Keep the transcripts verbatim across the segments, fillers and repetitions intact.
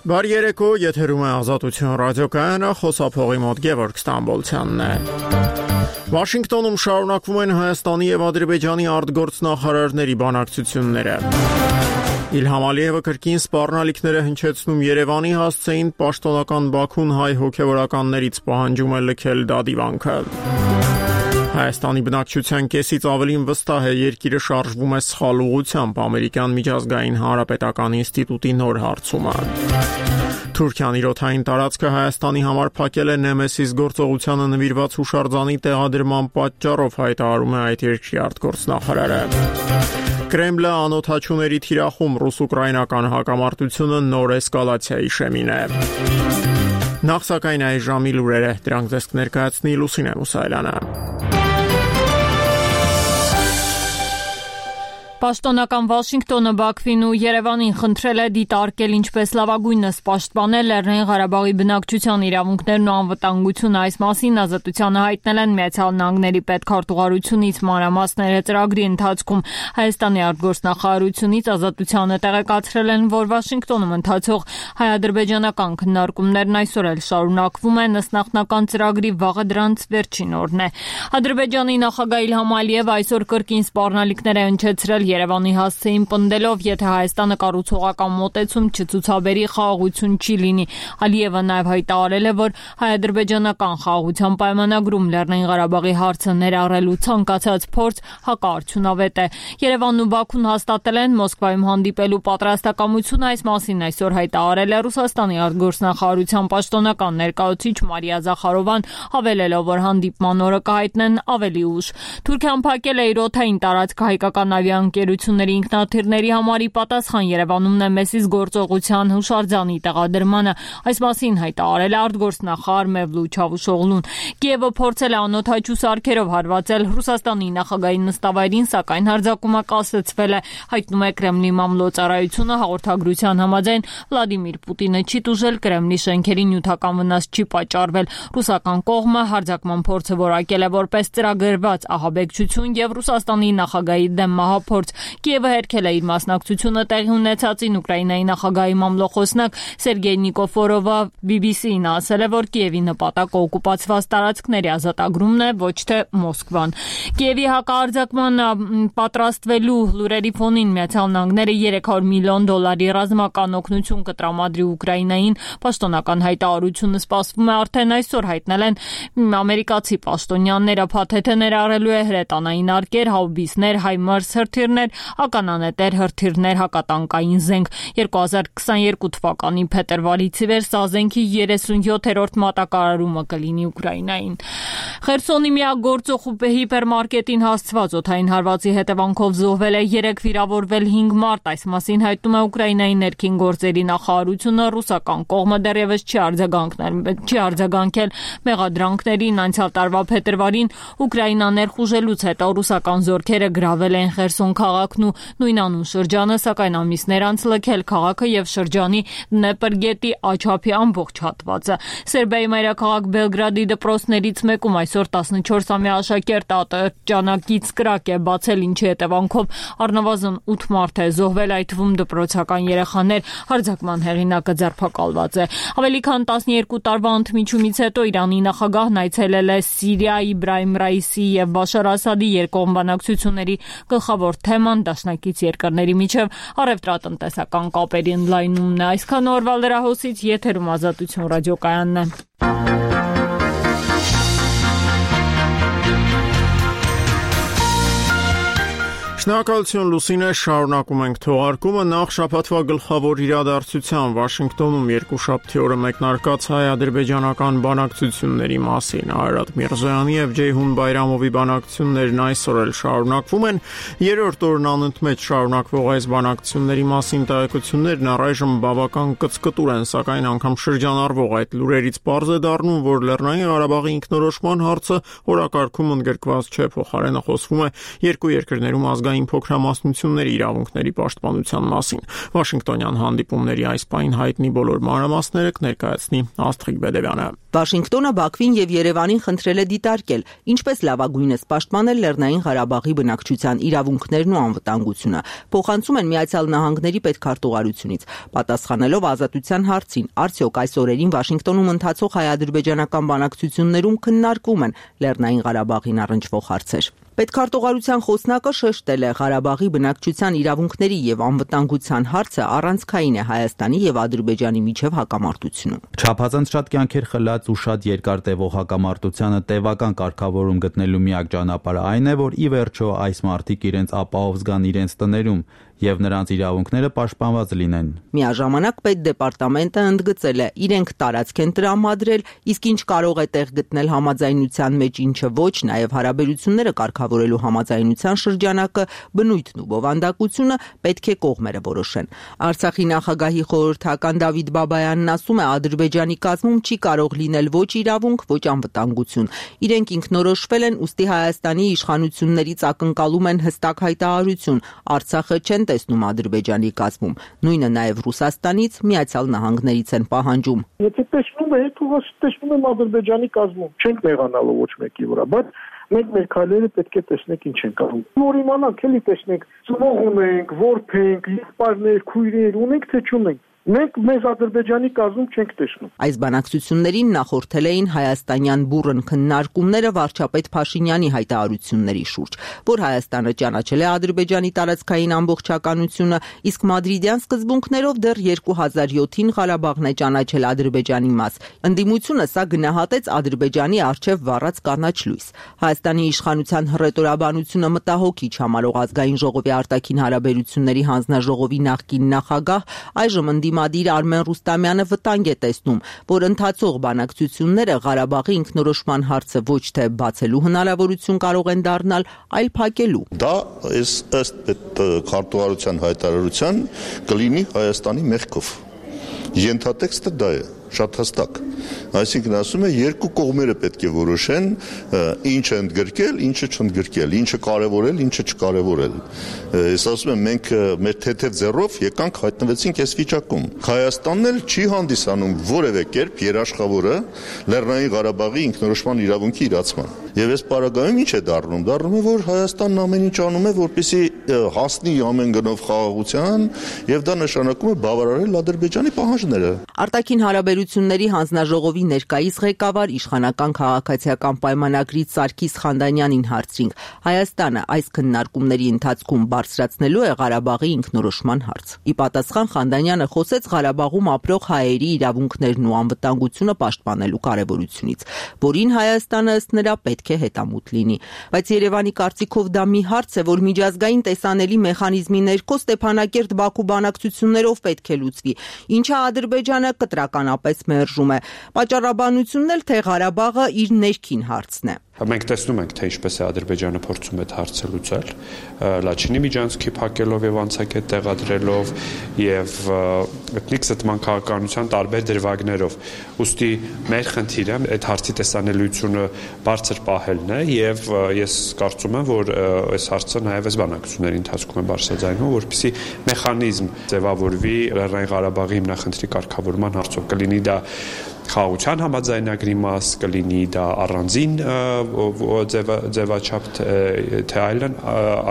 Բարի երեկո, եթերում է Ազատություն ռադիոկայանը, խոսափողի մոտ Գևորգ Ստամբոլցյանն է։ Վաշինգտոնում շարունակվում են Հայաստանի եւ Ադրբեջանի արտգործնախարարների բանակցությունները։ Իլհամ Ալիևը կրկին սպառնալիքները հնչեցնում Երևանի հասցեին պաշտոնական Բաքուն հայ հոգևորականներից պահանջում է լքել դադիվանքը։ Հայաստանի բնակչության կեսից ավելին վստահ է երկիրը շարժվում է սխալ ուղղությամբ ամերիկյան միջազգային հանրապետական ինստիտուտի նոր հարցումը։ Թուրքիան իր օդային տարածքը Հայաստանի համար փակել է Նեմեսիս գործողությանը նվիրված հուշարձանի տեղադրման պատճառով, հայտարարում է այդ երկրի արտգործնախարարը։ Կրեմլը անօդաչուների թիրախում ռուս-ուկրաինական հակամարտությունը նոր էսկալացիայի շեմին է։ Նախ սակայն այս ժամի լուրերը, դրանք ձեզ կներկայացնի Լուսինե Մուսայելյանը։ Պաշտոնական Վաշինգտոնը Բաքվին ու Երևանին խնդրել է դիտարկել ինչպես լավագույնս պաշտպանել Լեռնային Ղարաբաղի բնակչության իրավունքներն ու անվտանգությունը։ Այս մասին ազատությանը հայտնել են Միացյալ Նահանգների պետքարտուղարությունից մանրամասները ծրագրի ընթացքում։ Հայաստանի արտգործնախարարությունից ազատությանը տեղեկացրել են, որ Վաշինգտոնում ընթացող հայ-ադրբեջանական քննարկումներն այսօր էլ շարունակվում են, ըստ նախնական ծրագրի վաղը դրանց վերջին օրն է։ Ադրբեջանի նախագահ Իլհամ Ալիևը այսօր կրկին սպառնալիքներ է հնչեցրել Երևանի հասցեին պնդելով, եթե Հայաստանը կառուցողական մոտեցում չցուցաբերի, խաղաղություն չի լինի։ Ալիևը նաև հայտարարել է, որ հայ-ադրբեջանական խաղաղության պայմանագրում Լեռնային Ղարաբաղի հարցը ներառելու ցանկացած փորձ հակաարդյունավետ է։ Երևանն ու Բաքուն հաստատել են Մոսկվայում հանդիպելու պատրաստակամությունը, այս մասին այսօր հայտարարել է Ռուսաստանի արտգործնախարարության պաշտոնական ներկայացուցիչ Մարիա Զախարովան, հավելելով, որ հանդիպման օրը կհայտնեն ավելի ուշ։ Թուրքիան փակել է իր օդային տարածքը հայկական ավիաընկերությունների ինքնաթիռների համարի պատասխան Երևանում Նեմեսիս գործողության հուշարձանի տեղադրմանը։ Այս մասին հայտարարել է արտգործնախարար Մևլութ Չավուշօղլուն։ Կիևը փորձել է անօդաչու սարքերով հարվածել Ռուսաստանի նախագահի նստավայրին, սակայն հարձակումը կասեցվել է, հայտնում է Կրեմլի մամլոյցարայությունը։ Հաղորդագրության համաձայն Վլադիմիր Պուտինը չի տուժել, Կրեմլի շենքերի նյութական վնաս չի պատճառվել։ Ռուսական կողմը հարձակման փորձը որակել է որպես ծրագրված ահաբեկչություն եւ Ռուսաստանի նախագահի դեմ մահափորձ։ Կիևը հերքել է իր մասնակցությունը տեղի ունեցածին։ Ուկրաինայի նախագահի մամլոխոսնակ Սերգեյ Նիկոֆորովը բի բի սի-ին ասել է, որ Կիևի նպատակը օկուպացված տարածքների ազատագրումն է, ոչ թե Մոսկվան։ Կիևի հակահարձակման պատրաստվելու լուրերի ֆոնին Միացյալ Նահանգները երեք հարյուր միլիոն դոլարի ռազմական օգնություն կտրամադրի Ուկրաինային։ Պաշտոնական հայտարարությունը սպասվում է արդեն այսօր, հայտնել են ամերիկացի պաշտոնյաները։ Փաթեթը ներառելու է հրետանային արկեր, հաուբիսներ, հայմարս հրթիռներ, ականանետեր, հրթիռներ, հակատանկային զենք։ երկու հազար քսաներկու թվականի փետրվարից ի վեր սա զենքի երեսունյոթերորդ մատակարարումը կլինի Ուկրաինային։ Խերսոնի միակ գործող հիպերմարկետին հասցված օդային հարվածի հետևանքով զոհվել է երեք, վիրավորվել հինգ մարդ։ Այս մասին հայտնում է Ուկրաինայի ներքին գործերի նախարարությունը։ Ռուսական կողմը դեռևս չի արձագանքել չի արձագանքել մեղադրանքներին։ Անցյալ տարվա փետրվարին Ուկրաինա ներխուժելուց հետո ռուսական զորքերը գրավել են Խերսոն քաղաքն ու նույնանուն շրջանը, սակայն ամիսներ անց լքել քաղաքը եւ շրջանի Դնեպր գետի աչափի ամբողջ հատվածը։ Սերբիայի մայրաքաղաք Բելգրադի դպրոցներից մեկում այսօր տասնչորսամյա աշակերտ ատրճանակից կրակ է բացել, ինչի հետևանքով առնվազն ութ մարդ է զոհվել, այդ թվում դպրոցական երեխաներ։ Հարձակման հեղինակը ձերբակալված է։ Ավելի քան տասներկու տարվա ընդմիջումից հետո Իրանի նախագահն այցելել է Սիրիա, Իբրահիմ Ռայիսի եւ Բաշար Ասադի երկկողմ բանակցությունների գլխավոր թեման դաշնակից երկրների միջև առևտրատնտեսական կապերի ընդլայնումն է։ Այսքան օրվա լրահոսից եթերում Ազատություն ռադիոկայանն է։ Շնորհակալություն Լուսինե, շարունակում ենք թողարկումը։ Նախ շաբաթվա գլխավոր իրադարձության Վաշինգտոնում երկուշաբթի օրը մեկնարկած հայ-ադրբեջանական բանակցությունների մասին։ Արարատ Միրզոյանի եւ Ջեյհուն Բայրամովի բանակցություններն այսօր էլ շարունակվում են։ Երրորդ օրն անընդմեջ շարունակվող այս բանակցությունների մասին տեղեկություններն առայժմ բավական կծկտուր են, սակայն անգամ շրջանառվող այդ լուրերից պարզ է դառնում, որ Լեռնային Ղարաբաղի ինքնորոշման հարցը օրակարգում ընդգրկված չէ, փոխարենը խոսվում է երկու երկրներում ազգային փոքրամասնությունների իրավունքների պաշտպանության մասին։ Վաշինգտոնյան հանդիպումների այս պահին հայտնի բոլոր մանրամասները կներկայացնի Աստղիկ Բեդևյանը։ Վաշինգտոնը Բաքվին եւ Երևանին խնդրել է դիտարկել, ինչպես լավագույնս պաշտպանել Լեռնային Ղարաբաղի բնակչության իրավունքներն ու անվտանգությունը, փոխանցում են Միացյալ Նահանգների պետքարտուղարությունից, պատասխանելով ազատության հարցին, արդյոք այս օրերին Վաշինգտոնում ընթացող հայ-ադրբեջանական բանակցություններում քննարկվում են Լեռնային Ղարաբաղին առնչվող հարցեր։ Պետքարտուղարության խոսնակը շեշտել է Ղարաբաղի բնակչության իրավունքների եւ անվտանգության հարցը առանցքային է Հայաստանի եւ Ադրբեջանի միջև հակամարտությունում։ Չափազանց շատ կյանքեր խլած ու շատ երկար տևող հակամարտությանը տևական կարգավորում գտնելու միակ ճանապարհը այն է, որ ի վերջո այս մարդիկ իրենց ապահով զգան իրենց տներում եւ նրանց իրավունքները պաշտպանված լինեն։ Միաժամանակ պետդեպարտամենտը ընդգծել է, իրենք տարածք են տրամադրել, իսկ ինչ կարող է տեղ գտնել համաձայնության մեջ, ինչը ոչ, նաեւ հարաբերությունները կարգավորելու համաձայնության շրջանակը, բնույթն ու բովանդակությունը պետք է կողմերը որոշեն։ Արցախի նախագահի խորհրդական Դավիթ Բաբայանն ասում է, Ադրբեջանի կազմում չի կարող լինել ոչ իրավունք, ոչ անվտանգություն։ Իրենք ինքնորոշվել են, ուստի Հայաստանի իշխանություններից ակնկալում են հստակ հայտարարություն։ Արցախը չեն տեսնում Ադրբեջանի կազմում։ Նույնը նաև Ռուսաստանից, Միացյալ Նահանգներից են պահանջում։ Եթե տեսնում եք, ուղղակի տեսնում եմ Ադրբեջանի կազմում, չենք նեղանալու ոչ մեկի վրա, բայց մենք մեր քայլերը պետք է տեսնենք ինչ են կանում։ Որ իմանանք, էլի տեսնենք, ծնող ունենք, որբ ենք, եղբայրներ, քույրեր ունենք, թե չունենք։ Մենք մեզ Ադրբեջանի կազմում չենք տեսնում։ Այս բանակցություններին նախորդել էին հայաստանյան բուռն քննարկումները վարչապետ Փաշինյանի հայտարարությունների շուրջ, որ Հայաստանը ճանաչել է Ադրբեջանի տարածքային ամբողջականությունը, իսկ մադրիդյան սկզբունքներով դեռ երկու հազար յոթին Ղարաբաղն է ճանաչել Ադրբեջանի մաս։ Ընդդիմությունը սա գնահատեց Ադրբեջանի առջև վառած կանաչ լույս։ Հայաստանի իշխանության հռետորաբանությունը մտահոգիչ համարող ազգային ժողովի արտաքին հարաբերությունների հանձնաժողովի նախկին նախագահ, այժմ Մադիր Արմեն Ռուստամյանը վտանգ է տեսնում, որ ընթացող բանակցությունները Ղարաբաղի ինքնորոշման հարցը ոչ թե բացելու հնարավորություն կարող են դառնալ, այլ փակելու։ Դա ըստ քարտուղարության հայտարարության կլինի Հայաստանի մեղքով։ Ենթատեքստը դա է, շատ հստակ։ Այսինքն ասում է, երկու կողմերը պետք է որոշեն ինչը ընդգրկել, ինչը չընդգրկել, ինչը կարևորել, ինչը չկարևորել։ Ես ասում եմ, մենք մեր թեթև ձեռով եկանք հայտնվեցինք այս վիճակում։ Հայաստանն էլ չի հանդիսանում որևէ կերպ երաշխավորը Լեռնային Ղարաբաղի ինքնորոշման իրավունքի իրացման։ Եվ այս պարագայում ինչ է դառնում։ Դառնում է, որ Հայաստանն ամեն ինչ անում է, որպեսզի հասնի ամեն գնով խաղաղության, եւ դա նշանակում է բավարարել Ադրբեջանի պահանջները։ Արտաքին հարաբերությունների հանձնաժողովի ներկայիս ղեկավար իշխանական քաղաքացիական պայմանագրից Սարգիս Խանդանյանին հարցրինք. Հայաստանը այս քննարկումների ընթացքում բարձրացնելու է Ղարաբաղի ինքնորոշման հարց։ Ի պատասխան Խանդանյանը խոսեց Ղարաբաղում ապրող հայերի իրավունքներն ու անվտանգությունը պաշտպանելու կարևորությունից, որին Հայաստանը ըստ նրա պետք է հետամուտ լինի։ Բայց Երևանի կարծիքով դա մի հարց է, որ միջազգային տեսանելի մեխանիզմի ներքո Ստեփանակերտ-Բաքու բանակցություններով պետք է լուծվի, ինչը Ադրբեջանը կտրականապես մերժում է։ Պատճառաբանությունն էլ թե Ղարաբաղը իր ներքին հարցն է։ Մենք տեսնում ենք, թե ինչպես է Ադրբեջանը փորձում այդ հարցը լուծել, Լաչինի միջանցքի փակելով եւ անցակետ տեղադրելով եւ էթնիկ զտման քաղաքականության տարբեր դրվագներով։ Ուստի մեր խնդիրը այդ հարցի տեսանելիությունը բարձր պահելն է եւ ես կարծում եմ, որ այս հարցը նաեւ այս բանակցությունների ընթացքում է բարձրաձայնվում, որպեսզի մեխանիզմ ձևավորվի Լեռնային Ղարաբաղի հիմնախնդրի կարգավորման հարցով, կլինի դա խաղաղության համաձայնագրի մաս, կլինի դա առանձին ձևաչափ, թե այլն,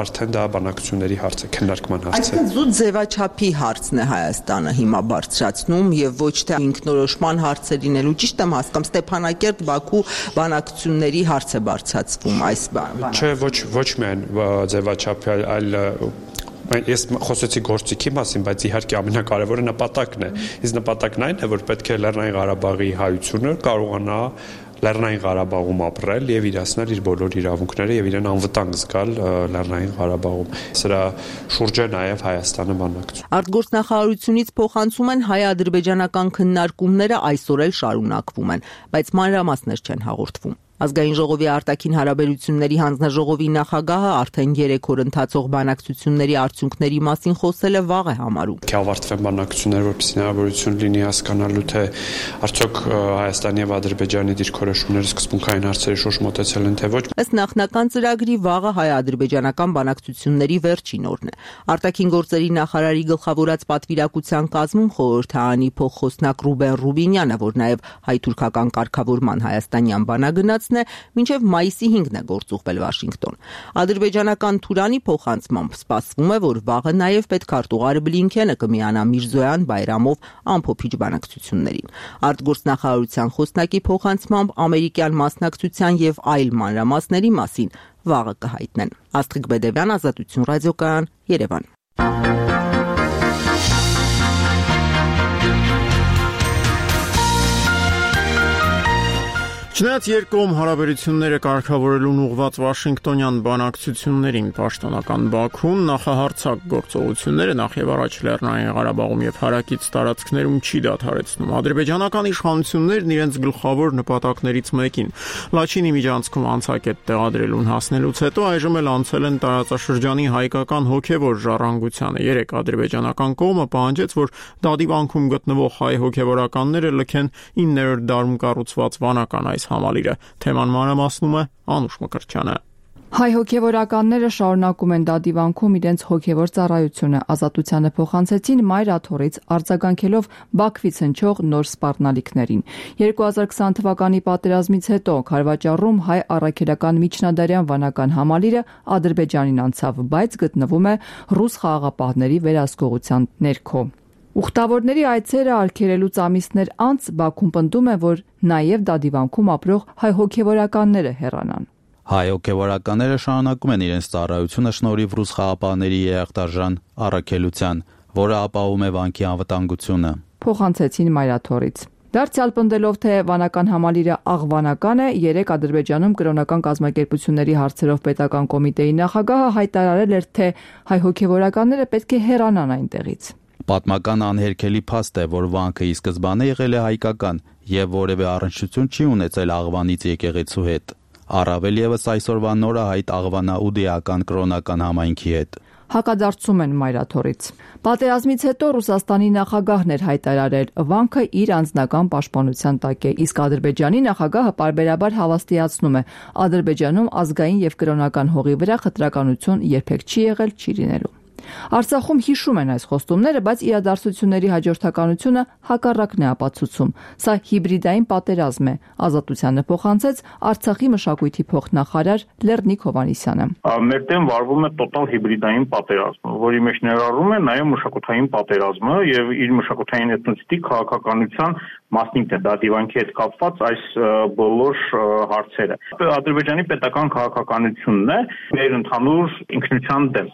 արդեն դա բանակցությունների հարց է, քննարկման հարց է։ Այսինքն զուտ ձևաչափի հարցն է Հայաստանը հիմա բարձրացնում եւ ոչ թե ինքնորոշման հարցը լինելու, ճիշտ եմ հասկանում, Ստեփանակերտ-Բաքու բանակցությունների հարց է բարձրացվում այս բանը։ Չէ, ոչ ոչ միայն ձևաչափի, այլ Ես խոսեցի գործիքի մասին, բայց իհարկե ամենակարևորը նպատակն է։ Իսկ նպատակն այն է, որ պետք է Լեռնային Ղարաբաղի հայությունը կարողանա Լեռնային Ղարաբաղում ապրել եւ իրացնել իր բոլոր իրավունքները եւ իրեն անվտանգ զգալ Լեռնային Ղարաբաղում։ Սրա շուրջ է նաեւ Հայաստանը բանակցում։ Արտգործնախարարությունից փոխանցում են հայ-ադրբեջանական քննարկումները այսօր էլ շարունակվում են, բայց մանրամասներ չեն հաղորդվում։ Ազգային ժողովի արտաքին հարաբերությունների հանձնաժողովի նախագահը արդեն երեք օր ընթացող բանակցությունների արդյունքների մասին խոսել է վաղ է համարում։ Կավարտվեն բանակցությունները, որպեսզի հնարավորություն լինի հասկանալու, թե արդյոք Հայաստանի եւ Ադրբեջանի դիրքորոշումները սկզբունքային հարցերի շուրջ մոտեցել են, թե ոչ։ Ըստ նախնական ծրագրի վաղը հայ-ադրբեջանական բանակցությունների վերջին օրն է։ Արտաքին գործերի նախարարի գլխավորած պատվիրակության կազմում խորհրդարանի փոխխոսնակ Ռուբեն Ռուբինյանը, որ նաև հայ-թուրքական կարգավորման հայաստանյան բանագնացն է, մինչև մայիսի հինգն է գործուղվել Վաշինգտոն։ Ադրբեջանական Թուրանի փոխանցմամբ սպասվում է, որ վաղը նաև պետքարտուղարը Բլինքենը կմիանա Միրզոյան Բայրամով ամփոփիչ բանակցություններին։ Արտգործնախարարության խոսնակի փոխանցմամբ ամերիկյան մասնակցության եւ այլ մանրամասների մասին վաղը կհայտնեն։ Աստղիկ Բեդևյան, Ազատություն ռադիոկայան, Երևան։ Չնայած երկկողմ հարաբերությունները կարգավորելուն ուղղված Վաշինգտոնյան բանակցություններին պաշտոնական Բաքուն նախահարցակ գործողությունները նախ եւ առաջ Լեռնային Ղարաբաղում եւ հարակից տարածքներում չի դադարեցնում։ Ադրբեջանական իշխանություններն իրենց գլխավոր նպատակներից մեկին Լաչինի միջանցքում անցակետ տեղադրելուն հասնելուց հետո այժմ էլ անցել են տարածաշրջանի հայկական հոգեվոր ժառանգությանը։ Երեք ադրբեջանական կողմը պահանջեց, որ դադիվանքում գտնվող հայ հոգեվորականները լքեն իններորդ դարում կառուցված վանական այս համալիրը։ Թեման մանրամասնում է Անուշ Մկրտչյանը։ Հայ հոգևորականները շարունակում են դադիվանքում իրենց հոգևոր ծառայությունը, Ազատությանը փոխանցեցին մայր աթոռից արձագանքելով Բաքվից հնչող նոր սպառնալիքներին։ երկու հազար քսան թվականի պատերազմից հետո Քարվաճառում հայ առաքելական միջնադարյան վանական համալիրը Ադրբեջանին անցավ, բայց գտնվում է ռուս խաղաղապահների վերահսկողության ներքո։ Ուխտավորների այցերը արգելելուց ամիսներ անց Բաքուն պնդում է, որ նաև դադիվանքում ապրող հայ հոգևորականները հեռանան։ Հայ հոգևորականները շարունակում են իրենց ծառայությունը շնորհիվ ռուս խաղաղապահների երախտարժան առաքելության, որը ապահովում է վանքի անվտանգությունը։ Փոխանցեցին մայրաթոռից։ Դարձյալ պնդելով, թե վանական համալիրը աղվանական է, երեք Ադրբեջանում կրոնական կազմակերպությունների հարցերով պետական կոմիտեի նախագահը հայտարարել էր, թե հայ հոգևորականները պետք է հեռանան այնտեղից։ Պատմական անհերքելի փաստ է, որ վանքը ի սկզբանե եղել է հայկական եւ որևէ առնչություն չի ունեցել Աղվանից եկեղեցու հետ։ Առավել եւս այսօրվա նորահայտ Աղվանաուդեական կրոնական համայնքի հետ։ Հակադարձում են մայրաթոռից։ Պատերազմից հետո Ռուսաստանի նախագահն էր հայտարարել, վանքը իր անձնական պաշտպանության տակ է, իսկ Ադրբեջանի նախագահը պարբերաբար հավաստիացնում է, Ադրբեջանում ազգային եւ կրոնական հողի վրա խտրականություն երբեք չի եղել, չի լինելու։ Արցախում հիշում են այս խոստումները, բայց իրադարձությունների հաջորդականությունը հակառակն է ապացուցում։ Սա հիբրիդային պատերազմ է, Ազատությանը փոխանցեց Արցախի մշակույթի փոխնախարար Լեռնիկ Հովհաննիսյանը։ Մեր դեմ վարվում է տոտալ հիբրիդային պատերազմ, որի մեջ ներառում է նաև մշակութային պատերազմը եւ իր մշակութային էթնոցիտիկ քաղաքականության մասնիկն է, դադիվանքի հետ կապված այս բոլոր հարցերը։ Ադրբեջանի պետական քաղաքականությունն է մեր ընդհանուր ինքնության դեմ։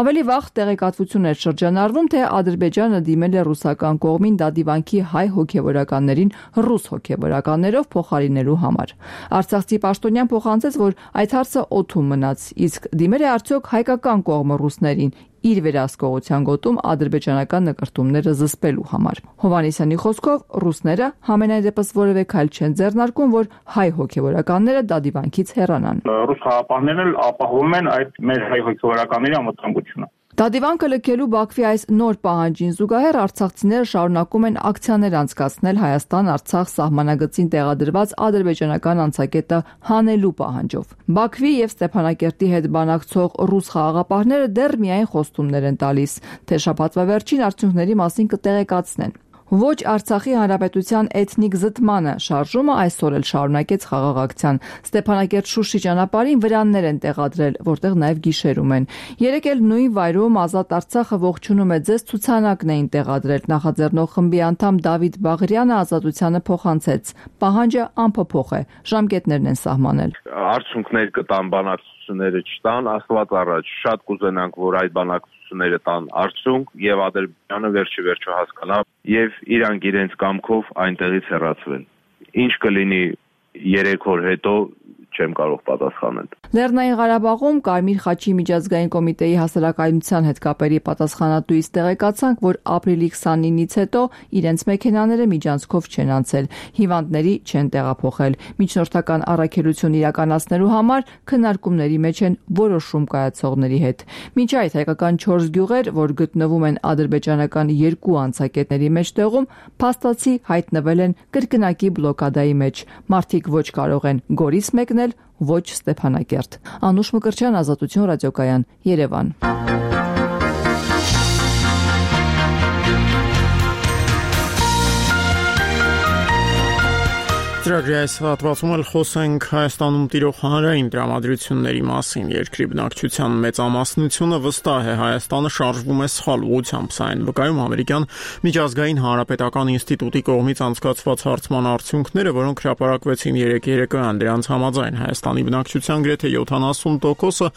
Ավելի վաղ տեղեկատվություն էր շրջանառվում, թե Ադրբեջանը դիմել է ռուսական կողմին դադիվանքի հայ հոգևորականներին ռուս հոգևորականներով փոխարինելու համար։ Արցախցի պաշտոնյան փոխանցեց, որ այդ հարցը օդում մնաց, իսկ դիմել է արդյոք հայկական կողմը ռուսներին իր վերահսկողության գոտում ադրբեջանական նկրտումները զսպելու համար։ Հովհաննիսյանի խոսքով ռուսները համենայն դեպս որևէ քայլ չեն ձեռնարկում, որ հայ հոգևորականները դադիվանքից հեռանան։ Ռուս խաղաղապահներն էլ ապահովում են այդ մեր հայ հոգևորականների անվտանգությունը։ Դադիվանքը լքելու Բաքվի այս նոր պահանջին զուգահեռ արցախցիները շարունակում են ակցիաներ անցկացնել Հայաստան-Արցախ սահմանագծին տեղադրված ադրբեջանական անցակետը հանելու պահանջով։ Բաքվի եւ Ստեփանակերտի հետ բանակցող ռուս խաղաղապահները դեռ միայն խոստումներ են տալիս, թե շաբաթվա վերջին արդյունքների մասին կտեղեկացնեն։ Ոչ Արցախի հանրապետության էթնիկ զտմանը շարժումը այսօր էլ շարունակեց խաղաղ ակցիան։ Ստեփանակերտ-Շուշի ճանապարհին վրաններ են տեղադրել, որտեղ նաև գիշերում են։ Երեք էլ նույն վայրում Ազատ Արցախը ողջունում է ձեզ ցուցանակն էին տեղադրել։ Նախաձեռնող խմբի անդամ Դավիթ Բաղարյանը Ազատությանը փոխանցեց. Պահանջը անփոփոխ է, ժամկետներն են սահմանել։ Արդյունքներ կտան բանակցությունները չտան, Աստված առաջ, շատ կուզենանք, որ այդ բանակցությունները տան արդյունք եւ Ադրբեջանը վերջի վերջո հասկանա եւ իրանք իրենց կամքով այնտեղից հեռացվեն։ Ինչ կլինի երեք օր հետո չեմ կարող պատասխանել։ Լեռնային Ղարաբաղում Կարմիր խաչի միջազգային կոմիտեի հասարակայնության հետ կապերի պատասխանատուից տեղեկացանք, որ ապրիլի քսանինից հետո իրենց մեքենաները միջանցքով չեն անցել, հիվանդների չեն տեղափոխել։ Միջնորդական առաքելություն իրականացնելու համար քննարկումների մեջ են որոշում կայացողների հետ։ Մինչ այդ հայկական չորս գյուղեր, որ գտնվում են ադրբեջանական երկու անցակետների մեջտեղում, փաստացի հայտնվել են կրկնակի բլոկադայի մեջ։ Մարդիկ ոչ կարող են Գորիս մեկնել, ոչ Ստեփանակերտ։ Անուշ Մկրտչյան, Ազատություն ռադիոկայան, Երևան։ Ծրագրի այս հատվածում էլ խոսենք Հայաստանում տիրող հանրային տրամադրությունների մասին։ Երկրի բնակչության մեծամասնությունը վստահ է Հայաստանը շարժվում է սխալ ուղղությամբ, սա այն վկայում ամերիկյան միջազգային հանրապետական ինստիտուտի կողմից անցկացված հարցման արդյունքները, որոնք հրապարակվեցին երեկ երեկոյան։ Դրանց համաձայն Հայաստանի բնակչության գրեթե յոթանասուն տոկոսը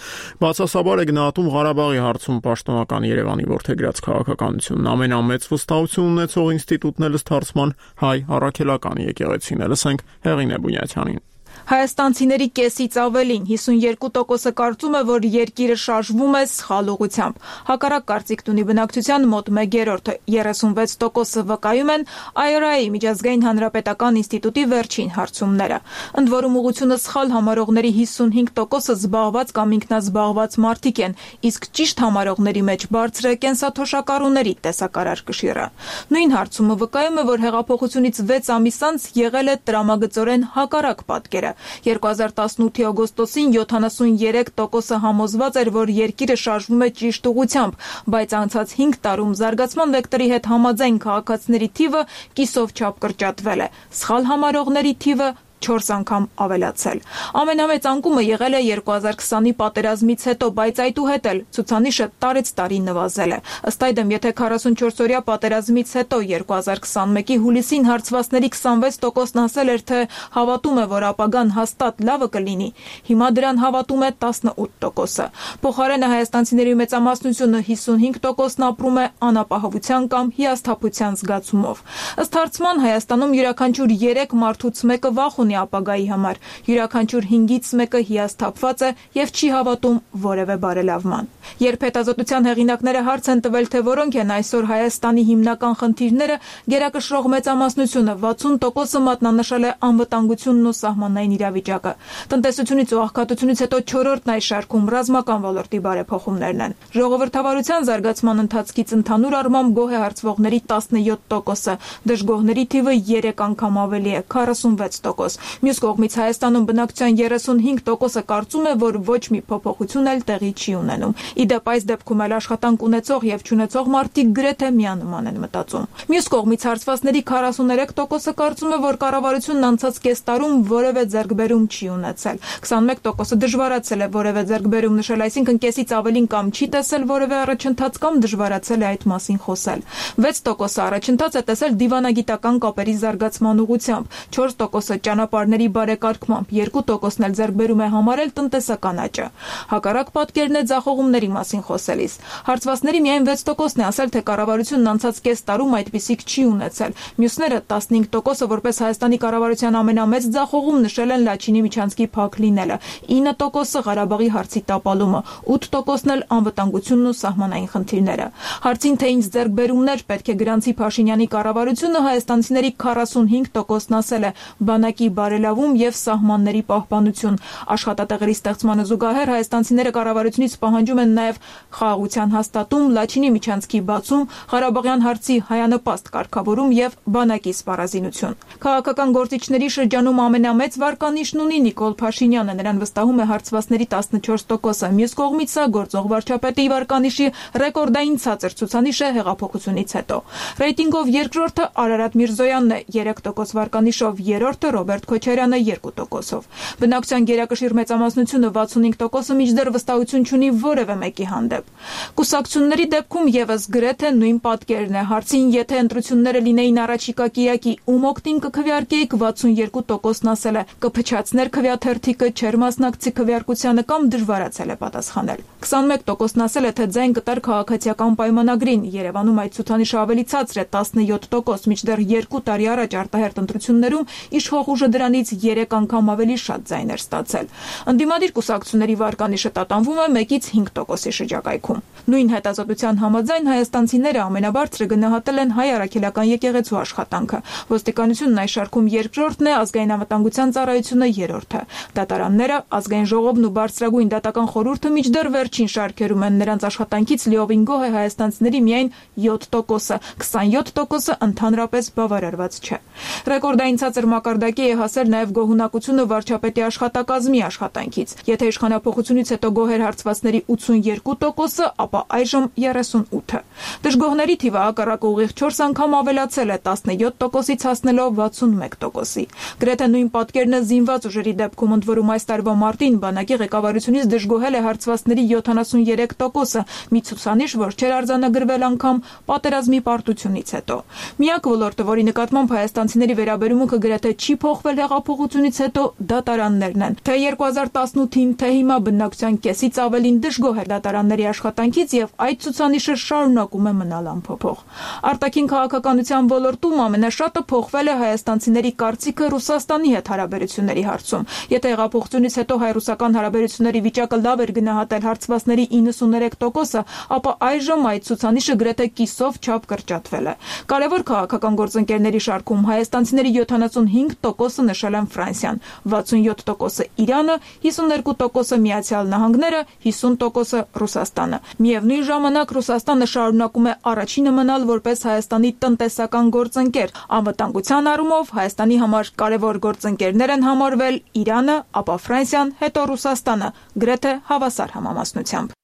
բացասաբար է գնահատում Ղարաբաղի հարցում պաշտոնական Երևանի որդեգրած քաղաքականությունն։ Ամենամեծ վստահություն ունեցող ինստիտուտն էլ ըստ հարցման Հայ առաքելական եկեղեցին է։ Հեղինե Բունյաթյանին։ Հայաստանցիների կեսից ավելին հիսունյոթ տոկոսը կարծում է, որ երկիրը շարժվում է սխալ ուղղությամբ։ Հակառակ կարծիքն ունի բնակչության մոտ մեկ երրորդը, երեսունվեց տոկոսը վկայում են այ առ այ-ի միջազգային հանրապետական ինստիտուտի վերջին հարցումները։ Ընդ որում ուղղությունը սխալ համարողների հիսունհինգ տոկոսը զբաղված կամ ինքնազբաղված մարդիկ են, իսկ ճիշտ համարողների մեջ բարձր է կենսաթոշակառուների տեսակարար կշիռը։ Նույն հարցումը վկայում է, որ հեղափոխությունից վեց ամիս անց եղել է տրամագծորեն հակառակ պատկերը։ երկու հազար տասնութի օգոստոսին յոթանասունյոթ տոկոսը համոզված էր, որ երկիրը շարժվում է ճիշտ ուղղությամբ, բայց անցած հինգ տարում զարգացման վեկտորի հետ համաձայն քաղաքացիների թիվը կիսով չափ կրճատվել է, սխալ համարողների թիվը չորս անգամ ավելացել։ Ամենամեծ անկումը եղել է երկու հազար քսանի պատերազմից հետո, բայց այդուհետ էլ ցուցանիշը տարեց տարի նվազել է։ Ըստ այդմ, եթե քառասունչորսօրյա պատերազմից հետո երկու հազար քսանմեկի հուլիսին հարցվածների քսանվեց տոկոսն ասել էր, թե հավատում է, որ ապագան հաստատ լավը կլինի, հիմա դրան հավատում է տասնութ տոկոսը։ Փոխարենը հայաստանցիների մեծամասնությունը հիսունհինգ տոկոսն ապրում է անապահովության կամ հիասթափության զգացումով։ Ըստ հարցման Հայաստանում յուրաքանչյուր երեք մարդուց մեկը վախ ունի ապագայի համար, յուրաքանչյուր հինգից մեկը հիասթափված է եւ չի հավատում որևէ բարելավման։ Երբ հետազոտության հեղինակները հարց են տվել, թե որոնք են այսօր Հայաստանի հիմնական խնդիրները, գերակշռող մեծամասնությունը վաթսուն տոկոսը մատնանշել է անվտանգությունն ու սահմանային իրավիճակը։ Տնտեսությունից ու աղքատությունից հետո չորրորդն այս շարքում ռազմական ոլորտի բարեփոխումներն են։ Ժողովրդավարության զարգացման ընթացքից ընդհանուր առմամբ գոհ է հարցվողների տասնյոթ տոկոսը, դժգոհների թիվը երեք անգամ ավելի է, քառասունվեց տոկոս։ Մյուս կողմից Հայաստանում բնակչության երեսունհինգ տոկոսը կարծում է, որ ոչ մի փոփոխություն էլ տեղի չի ունենում։ Իդեպ այս դեպքում էլ աշխատանք ունեցող եւ չունեցող մարդիկ գրեթե միանման են մտածում։ Մյուս կողմից հարցվածների քառասուներեք տոկոսը կարծում է, որ կառավարությունն անցած կես տարում որևէ ձեռքբերում չի ունեցել։ քսանմեկ տոկոսը դժվարացել է որևէ ձեռքբերում նշել, այսինքն կեսից ավելին կամ չի տեսել որևէ առաջընթաց կամ դժվարացել է այդ մասին խոսել։ վեց տոկոսը առաջընթաց է տեսել դիվանագիտական կապերի զարգացման ուղղությամբ, չորս տոկոսը ճանապարհների բարեկարգմամբ, երկու տոկոսն էլ ձեռքբերում է համարել տնտեսական աճը։ Հակառակ պատկերն է ձախողումների մասին խոսելիս։ Հարցվածների միայն վեց տոկոսն է ասել, թե կառավարությունն անցած կես տարում այդպիսիք չի ունեցել։ Մյուսները տասնհինգ տոկոսը որպես Հայաստանի կառավարության ամենամեծ ձախողում նշել են Լաչինի միջանցքի փակ լինելը, ինը տոկոսը Ղարաբաղի հարցի տապալումը, ութ տոկոսն էլ անվտանգությունն ու սահմանային խնդիրները։ Հարցին, թե ինչ ձեռքբերումներ պետք է գրանցի Փաշինյանի կառավարությունը, հայաստանցիների քառասունհինգ տոկոսն ասել է բանակի բարելավում եւ սահմանների պահպանություն։ Աշխատատեղերի ստեղծմանը զուգահեռ հայաստանցիները կառավարությունից պահանջում են նաեւ խաղաղության հաստատում, Լաչինի միջանցքի բացում, Ղարաբաղյան հարցի հայանպաստ կարգավորում եւ բանակի սպառազինություն։ Քաղաքական գործիչների շրջանում ամենամեծ վարկանիշն ունի Նիկոլ Փաշինյանը, նրան վստահում է հարցվածների տասնչորս տոկոսը։ Մյուս կողմից սա գործող վարչապետի վարկանիշի ռեկորդային ցածր ցուցանիշ է հեղափոխությունից հետո։ Ռեյտինգով երկրորդը Արարատ Միրզոյանն է երեք տոկոս վարկանիշով, երրորդը Ռոբերտ Քոչարյանը երկու տոկոսով։ Բնակչության գերակշիռ մեծամասնությունը վաթսունհինգ տոկոսը մինչդեռ վստահություն չունի որևէ մեկի հանդեպ։ Կուսակցությունների դեպքում եւս գրեթե նույն պատկերն է։ Հարցին, եթե ընտրությունները լինեին առաջիկա կիրակի, ում օգտին կքվեարկեիք, վաթսունյոթ տոկոսն ասել է կփչացներ քվեաթերթիկը, չեր մասնակցի քվեարկությանը կամ դժվարացել է պատասխանել։ քսանմեկ տոկոսն ասել է, թե ձայն կտար քաղաքացիական պայմանագրին։ Երևանում այդ ցուցանիշը ավելի ցածր է տասնյոթ տոկոս, մինչդեռ երկու տարի առաջ արտահերտ ընտրություններում իշխող ուժը դրանից երեք անգամ ավելի շատ ձայներ ստացել։ Ընդդիմադիր կուսակցությունների վարկանիշը տատանվում է մեկից հինգ տոկոսի շրջակայքում։ Նույն հետազոտության համաձայն հայաստանցիները ամենաբարձրը գնահատել են հայ առաքելական եկեղեցու աշխատանքը։ Ոստիկանությունն այս շարքում երկրորդն է, ազգային անվտանգության ծառայությունը երրորդը։ Դատարանները, ազգային ժողովն ու բարձրագույն դատական խորհուրդը մինչդեռ վերջին շարքերում են, նրանց աշխատանքից լիովին գոհ է հայաստանցիների միայն յոթ տոկոսը, քսանյոթ տոկոսը ընդհանրապես բավարարված չէ։ Ռեկորդային ցածր մակարդակի է հասել նաև գոհունակությունը վարչապետի աշխատակազմի աշխատանքից։ Եթե իշխանափոխությունից հետո գոհ էր հարցվածների ութսունյոթ տոկոսը, ապա այժմ երեսունութը։ Դժգոհների թիվը հակառակը ուղիղ չորս անգամ ավելացել է տասնյոթ տոկոսից հասնելով վաթսունմեկ տոկոսի։ Գրեթե նույն պատկերն է զինված ուժերի դեպքում, ընդ որում այս տարվա մարտին բանակի ղեկավարությունից դժգոհել է հարցվածների յոթանասունյոթ տոկոսը, մի ցուցանիշ, որ չէր արձանագրվել անգամ պատերազմի պարտությունից հետո։ Միակ ոլորտը, որի նկատմամբ հայաստանցիների վերաբերմունքը գրեթե չի փոխվել հեղափոխությունից հետո, դատարաններն են։ Թե երկու հազար տասնութին, թե հիմա բնակչության կեսից ավելին դժգոհ է դատարանների աշխատանքից եւ այդ ցուցանիշը շարունակում է մնալ անփոփոխ։ Արտաքին քաղաքականության ոլորտում ամենաշատը փոխվել է հայաստանցիների կարծիքը Ռուսաստանի հետ հարաբերությունների հարցում։ Եթե հեղափոխությունից հետո հայ-ռուսական հարաբերությունների վիճակը լավ էր գնահատել հարցվածների իննսուներեք տոկոսը, ապա այժմ այդ ցուցանիշը գրեթե կիսով չափ կրճատվել է։ Կարևոր քաղաքական գործընկերների շարքում հայաստանցիների յոթանասունհինգ տոկոսը նշել են Ֆրանսիան, վաթսունյոթ տոկոսը Իրանը, հիսուններկու տոկոսը Միացյալ Նահանգները, հիսուն տոկոսը Ռուսաստանը։ Միևնույն ժամանակ Ռուսաստանը շարունակում է առաջինը մնալ որպես Հայաստանի տնտեսական գործընկեր։ Անվտանգության առումով Հայաստանի համար կարևոր գործընկերներ են համարվել Իրանը, ապա Ֆրանսիան, հետո Ռուսաստանը, գրեթե հավասար համամասնությամբ։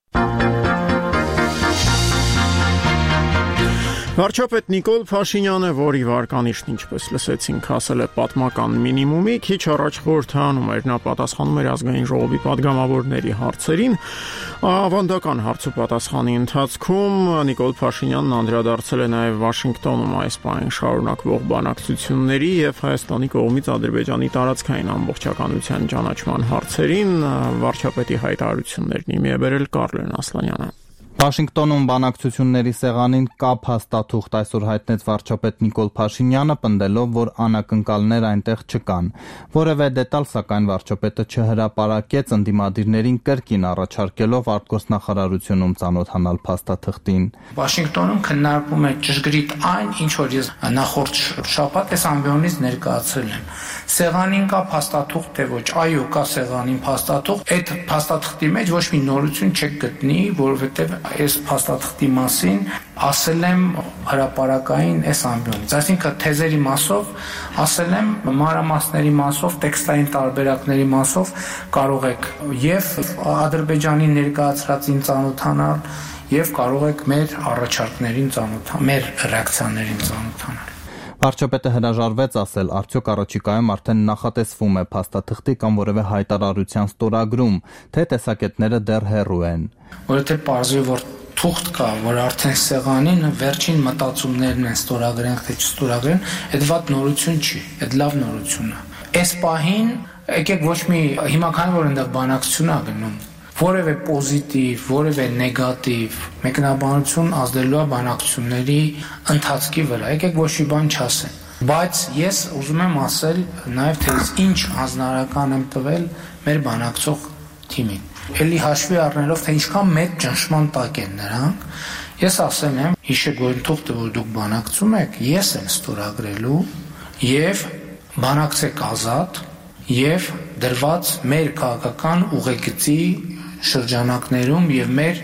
Վարչապետ Նիկոլ Փաշինյանը, որի վարկանիշն ինչպես լսեցինք, հասել է պատմական մինիմումի, քիչ առաջ խորհրդանում էր, նա պատասխանում էր ազգային ժողովի падգամավորների հարցերին։ Ավանդական հարցուպատասխանի ընթացքում Նիկոլ Փաշինյանն անդրադարձել է նաև Վաշինգտոնում այս պահին շարունակվող բանակցությունների եւ Հայաստանի կողմից Ադրբեջանի տարածքային ամբողջականության ճանաչման հարցերին։ Վարչապետի հայտարարություններն իմի է բերել Կարլեն Ասլանյանը։ Վաշինգտոնում բանակցությունների սեղանին կապ հաստատուղթ այսօր հայտնեց վարչապետ Նիկոլ Փաշինյանը, պնդելով, որ անակնկալներ այնտեղ չկան։ Որևէ դետալ, սակայն վարչապետը չհրապարակեց, ընդդիմադիրներին կրկին առաջարկելով արտգործնախարարությունում ծանոթանալ փաստաթղթին։ Վաշինգտոնում քննարկվում է ճշգրիտ այն, ինչ որ ես նախորդ շաբաթ այս ամբիոնից ներկայացրել եմ։ Սեղանին կա փաստաթուղթ, թե ոչ, այո, կա սեղանին փաստաթուղթ։ Այդ փաստաթղթի մեջ ոչ մի նորություն չեք գտնի, որովհետև այս փաստաթղթի մասին ասել եմ հրապարակային այս ամբիոնից, այսինքն թեզերի մասով ասել եմ, մանրամասների մասով, տեքստային տարբերակների մասով կարող եք եւ Ադրբեջանի ներկայացրածին ծանոթանալ եւ կարող եք մեր առաջարկներին ծանոթանալ, մեր ռեակցիաներին ծանոթանալ։ Վարչապետը հրաժարվեց ասել, արդյոք առաջիկայում արդեն նախատեսվում է փաստաթղթի կամ որևէ հայտարարության ստորագրում, թե տեսակետները դեռ հեռու են։ Որովհետև պարզվի, որ թուղթ կա, որ արդեն սեղանին վերջին մտածումներն են ստորագրենք, թե չստորագրեն, այդ վատ նորություն չի, այդ լավ նորություն է։ Այս պահին եկեք ոչ մի հիմա քանի որ այնտեղ բանակցություն ա գնում, որևէ պոզիտիվ, որևէ նեգատիվ մեկնաբանություն ազդելու է բանակցությունների ընթացքի վրա։ Եկեք ոչ մի բան չասեմ, բայց ես ուզում եմ ասել նաև թե ինչ հանձնարարական եմ տվել մեր բանակցող թիմին։ Էլի հաշվի առնելով, թե ինչքան մեծ ճնշման տակ են նրանք, ես ասել եմ, հիշեք որ թուղթը, որ դուք բանակցում եք, ես եմ ստորագրելու եւ բանակցեք ազատ եւ դրված մեր քաղաքական ուղեգծի շրջանակներում եւ մեր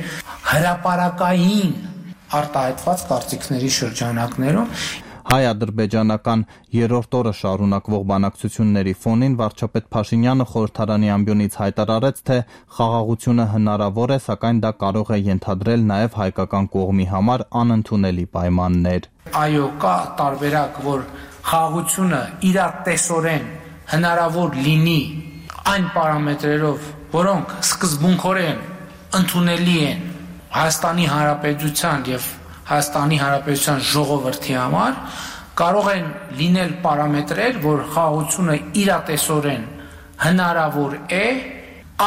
հրապարակային արտահայտված կարծիքների շրջանակներում։ Հայ-ադրբեջանական երրորդ օրը շարունակվող բանակցությունների ֆոնին վարչապետ Փաշինյանը խորհրդարանի ամբիոնից հայտարարեց, թե խաղաղությունը հնարավոր է, սակայն դա կարող է ենթադրել նաև հայկական կողմի համար անընդունելի պայմաններ։ Այո, կա տարբերակ, որ խաղաղությունը իրատեսորեն հնարավոր լինի այն պարամետրերով, որոնք սկզբունքորեն ընդունելի են Հայաստանի Հանրապետության եւ Հայաստանի Հանրապետության ժողովրդի համար, կարող են լինել պարամետրեր, որ խաղաղությունը իրատեսորեն հնարավոր է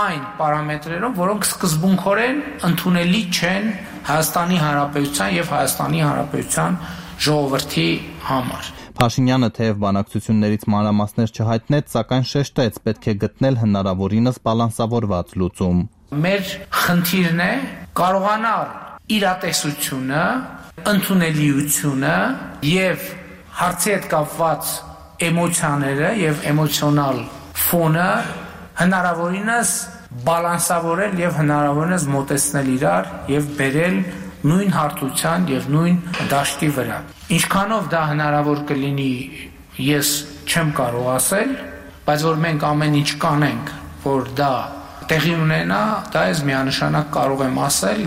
այն պարամետրերով, որոնք սկզբունքորեն ընդունելի չեն Հայաստանի Հանրապետության եւ Հայաստանի Հանրապետության ժողովրդի համար։ Փաշինյանը թեև բանակցություններից մանրամասներ չհայտնեց, սակայն շեշտեց, պետք է գտնել հնարավորինս բալանսավորված լուծում։ Մեր խնդիրն է կարողանալ իրատեսությունը, ընդունելիությունը եւ հարցի հետ կապված էմոցիաները եւ էմոցիոնալ ֆոնը հնարավորինս բալանսավորել եւ հնարավորինս մոտեցնել իրար եւ բերել նույն հարթության եւ նույն դաշտի վրա։ Ինչքանով դա հնարավոր կլինի, ես չեմ կարող ասել, բայց որ մենք ամեն ինչ կանենք, որ դա տեղի ունենա, դա ես միանշանակ կարող եմ ասել։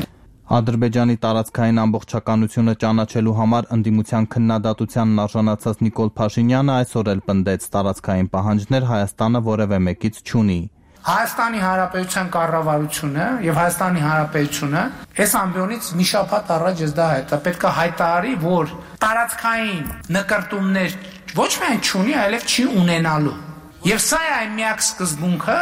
Ադրբեջանի տարածքային ամբողջականությունը ճանաչելու համար ընդդիմության քննադատությանն արժանացած Նիկոլ Փաշինյանը այսօր էլ պնդեց տարածքային պահանջներ Հայաստանը որևէ մեկից չունի։ Հայաստանի Հանրապետության կառավարությունը եւ Հայաստանի Հանրապետությունը այս ամբիոնից մի շաբաթ առաջ ես դա հետա պետք է հայտարարի, որ տարածքային նկարտումներ ոչ միայն չունի, այլև չի ունենալու։ Եվ սա է այն միակ սկզբունքը,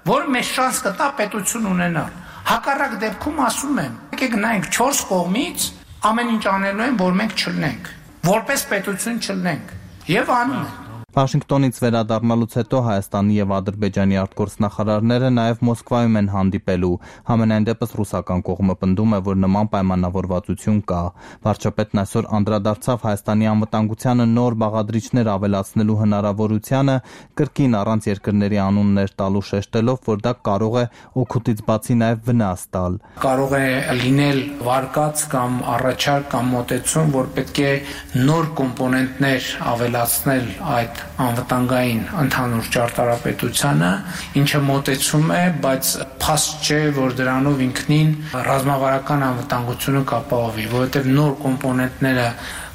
որ մեզ շանս կտա պետություն ունենալ։ Հակառակ դեպքում ասում եմ, եկեք նայենք չորս կողմից ամեն ինչ անելու են, որ մենք չլնենք, որպես պետություն չլնենք, եւ անում են։ Վաշինգտոնից վերադառնալուց հետո Հայաստանի եւ Ադրբեջանի արտգործնախարարները նաեւ Մոսկվայում են հանդիպելու։ Համենայն դեպս ռուսական կողմը պնդում է, որ նման պայմանավորվածություն կա։ Վարչապետն այսօր անդրադարձավ Հայաստանի անվտանգությանը նոր բաղադրիչներ ավելացնելու հնարավորությանը, կրկին առանց երկրների անուններ տալու շեշտելով, որ դա կարող է օգուտից բացի նաեւ վնաս տալ։ Կարող է լինել վարկած կամ առաջարկ կամ մոտեցում, որ պետք է նոր կոմպոնենտներ ավելացնել այդ անվտանգային ընդհանուր ճարտարապետությանը, ինչը մոտեցում է, բայց փաստ չէ, որ դրանով ինքնին ռազմավարական անվտանգությունը կապահովի, որովհետև նոր կոմպոնենտները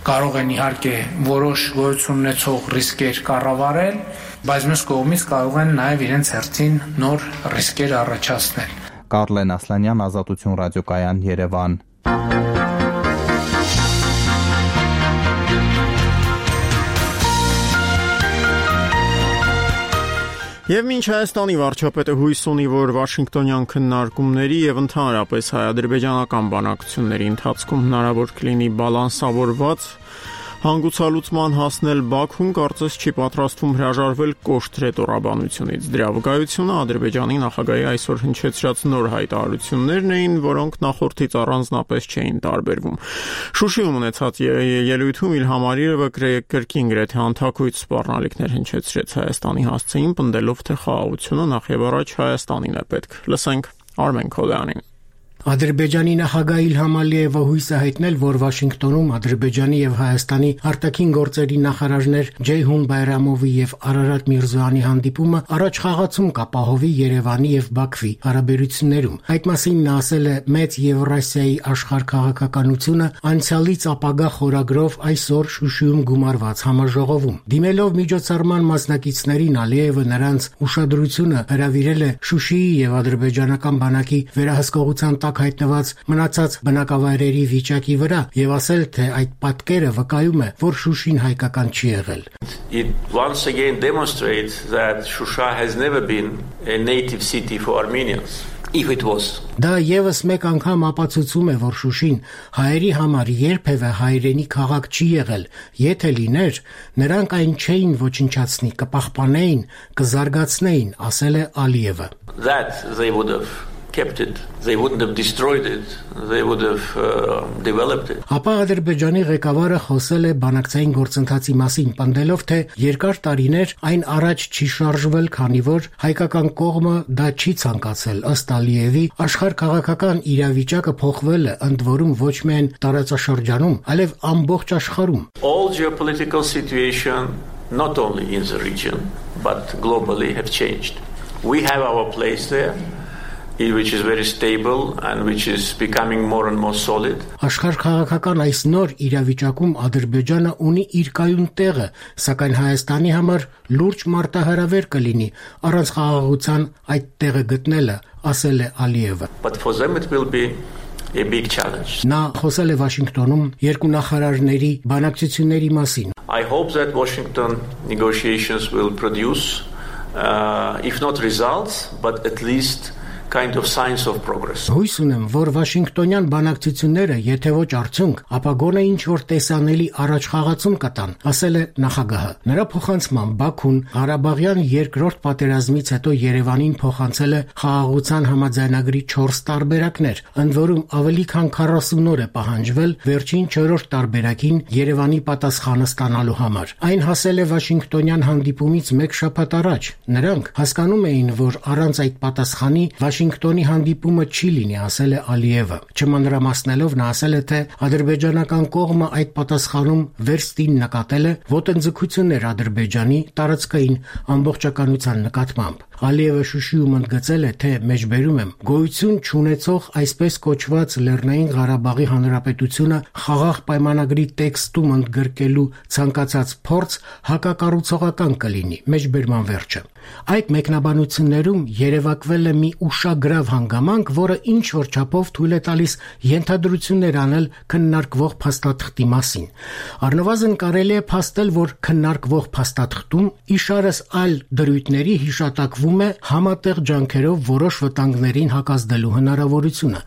կարող են իհարկե որոշ գոյություն ունեցող ռիսկեր կառավարել, բայց մյուս կողմից կարող են նաև իրենց հերթին նոր ռիսկեր առաջացնել։ Կարլեն Ասլանյան, Ազատություն ռադիոկայան, Երևան։ Եվ մինչ Հայաստանի վարչապետը հույս ունի, որ Վաշինգտոնյան քննարկումների եւ ընդհանրապես հայ-ադրբեջանական բանակցությունների ընթացքում հնարավոր կլինի բալանսավորված հանգուցալուծման հասնել, Բաքուն կարծես չի պատրաստվում հրաժարվել կոշտ ռետորաբանությունից։ Դրա վկայությունը Ադրբեջանի նախագահի այսօր հնչեցրած նոր հայտարարություններն էին, որոնք նախորդից առանձնապես չէին տարբերվում։ Շուշիում ունեցած ելույթում Իլհամ Ալիևը կրկին գրեթե անթակույց սպառնալիքներ հնչեցրեց Հայաստանի հասցեին, պնդելով, թե խաղաղությունը նախ եւ առաջ Հայաստանին է պետք։ Լսենք Արմեն Քոդյանին։ Ադրբեջանի նախագահ Իլհամ Ալիևը հույս է հայտնել, որ Վաշինգտոնում Ադրբեջանի եւ Հայաստանի արտաքին գործերի նախարարներ Ջեյհուն Բայրամովի եւ Արարատ Միրզոյանի հանդիպումը առաջ խաղացում կապահովի Երևանի եւ Բաքվի հարաբերություններում։ Այդ մասին նա ասել է Մեծ Եվրասիայի աշխարհ քաղաքականությունը անցյալից ապագա խորագրով այսօր Շուշիում գումարված համաժողովում։ Դիմելով միջոցառման մասնակիցներին Ալիևը նրանց ուշադրությունը հրավիրել է Շուշիի եւ ադրբեջանական բանակի վերահսկողության հայտնված մնացած բնակավայրերի վիճակի վրա եւ ասել, թե այդ պատկերը վկայում է, որ Շուշին հայկական չի եղել։ It once again demonstrates that Shusha has never been a native city for Armenians. If it was. Դա եւս մեկ անգամ ապացուցում է, որ Շուշին հայերի համար երբևէ հայրենի քաղաք չի եղել։ Եթե լիներ, նրանք այն չէին ոչնչացնի, կպահպանեին, կզարգացնեին, ասել է Ալիևը։ That they would have kept it, they wouldn't have destroyed it, they would have uh, developed it. Ապա Ադրբեջանի ղեկավարը խոսել է բանակցային գործընթացի մասին, պնդելով, թե երկար տարիներ այն առաջ չի շարժվել, քանի որ հայկական կողմը դա չի ցանկացել։ Ըստ Ալիևի, աշխարհ քաղաքական իրավիճակը փոխվել է, ընդ որում ոչ միայն տարածաշրջանում, այլև ամբողջ աշխարհում։ All geopolitical situation, not only in the region, but globally have changed. We have our place there, which is very stable and which is becoming more and more solid. Աշխարհ քաղաքական այս նոր իրավիճակում Ադրբեջանը ունի իր կայուն տեղը, սակայն Հայաստանի համար լուրջ մարտահրավեր կլինի առանց խաղաղության այդ տեղը գտնելը, ասել է Ալիևը։ But for them it will be a big challenge. Նա խոսել է Վաշինգտոնում երկու նախարարների բանակցությունների մասին։ I hope that Washington negotiations will produce uh, if not results, but at least kind of signs of progress. Հույս ունեմ, որ Վաշինգտոնյան բանակցությունները, եթե ոչ արդյունք, ապա գոնե ինչ-որ տեսանելի առաջխաղացում կտան, ասել է նախագահը։ Նրա փոխանցմամբ Բաքուն Ղարաբաղյան երկրորդ պատերազմից հետո Երևանին փոխանցել է խաղաղության համաձայնագրի չորս տարբերակներ, ընդ որում ավելի քան քառասուն օր է պահանջվել վերջին չորրորդ տարբերակին Երևանի պատասխանը ստանալու համար։ Այն հասել է Վաշինգտոնյան հանդիպումից մեկ շաբաթ առաջ։ Նրանք հասկանում էին, որ առանց այդ պատասխանի Վաշինգտոնի հանդիպումը չի լինի, ասել է Ալիևը։ Չմանրամասնելով նա ասել է, թե ադրբեջանական կողմը այդ պատասխանում վերստին նկատել է ոտնձգություններ Ադրբեջանի տարածքային ամբողջականության նկատմամբ։ Ալիևը Շուշիում ընդգծել է, թե մեջբերում եմ գոյություն չունեցող այսպես կոչված Լեռնային Ղարաբաղի Հանրապետությունը խաղաղ պայմանագրի տեքստում ընդգրկելու ցանկացած փորձ հակակառուցողական կլինի, մեջբերման վերջը։ Այդ մեկնաբանություններում երևակվել է մի ուշագրավ հանգամանք, որը ինչ որ չափով թույլ է տալիս ենթադրություններ անել քննարկվող փաստաթղթի մասին։ Առնվազն կարելի է փաստել, որ քննարկվող փաստաթղթում իշարս այլ դրույթների հիշատակվում է համատեղ ջանքերով որոշ վտանգներին հակազդելու հնարավորությունը։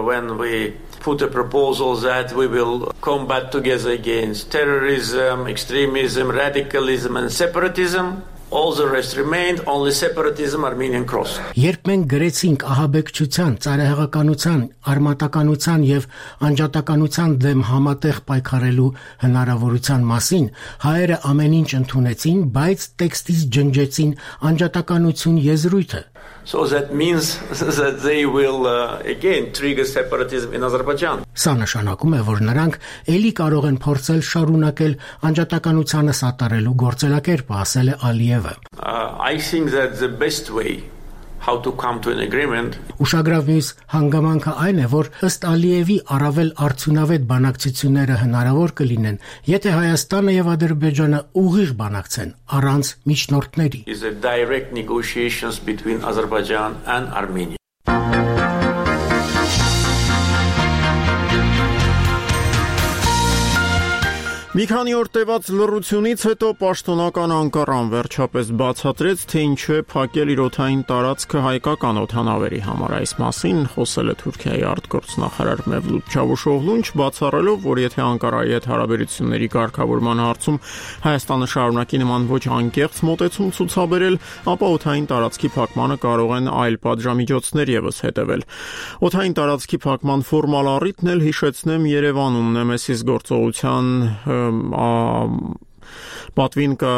When we put a proposal that we will combat together against terrorism, extremism, radicalism and separatism, all the rest remained, only separatism, Armenian cross. Երբ մենք գրեցինք ահաբեկչության, ծայրահեղականության, արմատականության եւ անջատականության դեմ համատեղ պայքարելու հնարավորության մասին, հայերը ամեն ինչ ընդունեցին, բայց տեքստից ջնջեցին անջատականություն եզրույթը։ So that means that they will uh, again trigger separatism in Azerbaijan. Սա նշանակում է, որ նրանք ելի կարող են փորձել շարունակել անջատականությանը սատարելու գործելակերպը, ասել է Ալիևը։ I think that the best way how to come to an agreement. Ուշագրավ մյուս հանգամանքը այն է, որ ըստ Ալիևի առավել արդյունավետ բանակցությունները հնարավոր կլինեն, եթե Հայաստանը եւ Ադրբեջանը ուղիղ բանակցեն, առանց միջնորդների։ Is a direct negotiations between Azerbaijan and Armenia. Մի քանի օր տևած լռությունից հետո պաշտոնական Անկարան վերջապես բացատրեց, թե ինչու է փակել իր օդային տարածքը հայկական օդանավերի համար։ Այս մասին խոսել է Թուրքիայի արտգործնախարար Մևլութ Չավուշօղլուն, բացառելով, որ եթե Անկարայի հետ հարաբերությունների կարգավորման հարցում Հայաստանը շարունակի նման ոչ անկեղծ մոտեցում ցուցաբերել, ապա օդային տարածքի փակմանը կարող են այլ պատժամիջոցներ եւս հետևել։ Օդային տարածքի փակման ֆորմալ առիթն էլ հիշեցնեմ Երևանում Նեմեսիս գործողության պատվին կա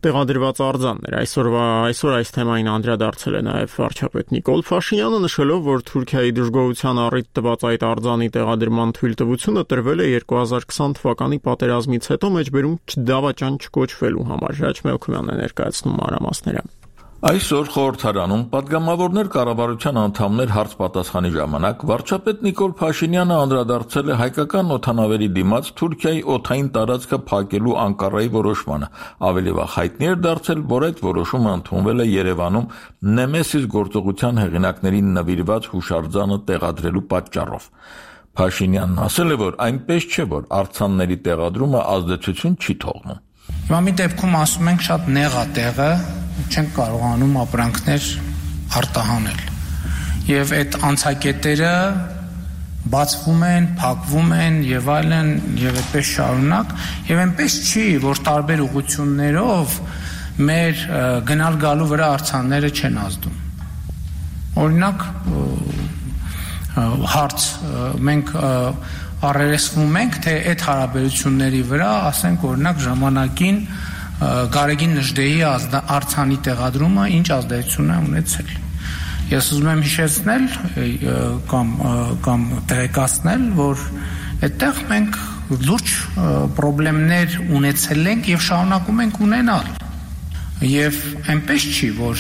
տեղադրված արձաններ։ Այսօրվա այսօր այս թեմային անդրադարձել է նաև վարչապետ Նիկոլ Փաշինյանը, նշելով, որ Թուրքիայի դժգոհության առիթ տված այդ արձանի տեղադրման թույլտվությունը տրվել է երկու հազար քսան թվականի պատերազմից հետո մեջբերում դավաճան չկոչվելու համար։ Ժաչ Մելքումյանն է ներկայացնում մանրամասները։ Այսօր խորհրդարանում պատգամավորներ կառավարության անդամներ հարց պատասխանի ժամանակ վարչապետ Նիկոլ Փաշինյանը անդրադարձել է հայկական օդանավերի դիմաց Թուրքիայի օդային տարածքը փակելու Անկարայի որոշմանը։ Ավելի վաղ հայտնի էր դարձել, որ այդ որոշումը ընդունվել է Երևանում Նեմեսիս գործողության հեղինակներին նվիրված հուշարձանը տեղադրելու պատճառով։ Փաշինյանն ասել է, որ այնպես չէ, որ արձանների տեղադրումը ազդեցություն չի թողնում։ Հիմա մի դեպքում ասում ենք շատ նեղ է տեղը, չենք կարողանում ապրանքներ արտահանել։ Եվ այդ անցակետերը բացվում են, փակվում են եւ այլն, եւ այդպես շարունակ, եւ այնպես չի, որ տարբեր ուղղություններով մեր գնալ գալու վրա արձանները չեն ազդում։ Օրինակ հարց մենք առերեսվում ենք, թե այդ հարաբերությունների վրա, ասենք օրինակ ժամանակին Գարեգին Նժդեի արձանի տեղադրումը ինչ ազդեցություն է ունեցել։ Ես ուզում եմ հիշեցնել կամ կամ տեղեկացնել, որ այդտեղ մենք լուրջ խնդիրներ ունեցել ենք եւ շարունակում ենք ունենալ։ Եվ այնպես չի, որ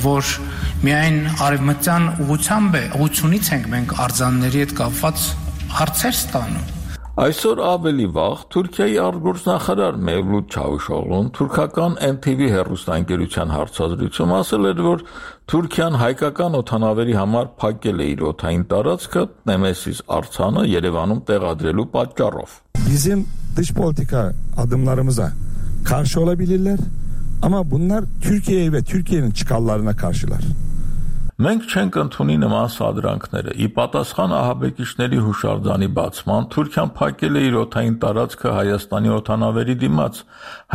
որ միայն արևմտյան ուղղությամբ է, ուղղությունից ենք մենք արձանների հետ կապված հարցեր ստանում։ Այսօր ավելի վաղ Թուրքիայի արտգործնախարար Մևլութ Չավուշօղլուն թուրքական Em T V հեռուստաընկերության հարցազրույցում ասել էր, որ Թուրքիան հայկական օդանավերի համար փակել է իր օդային տարածքը Նեմեսիս արձանը Երևանում տեղադրելու պատճառով։ Bizim dış politika adımlarımıza karşı olabilirler ama bunlar Türkiye'ye ve Türkiye'nin çıkarlarına karşılar. Մենք չենք ընդունի նման սադրանքները։ Ի պատասխան ահաբեկիչների հուշարձանի բացման Թուրքիան փակել է իր օդային տարածքը Հայաստանի օդանավերի դիմաց։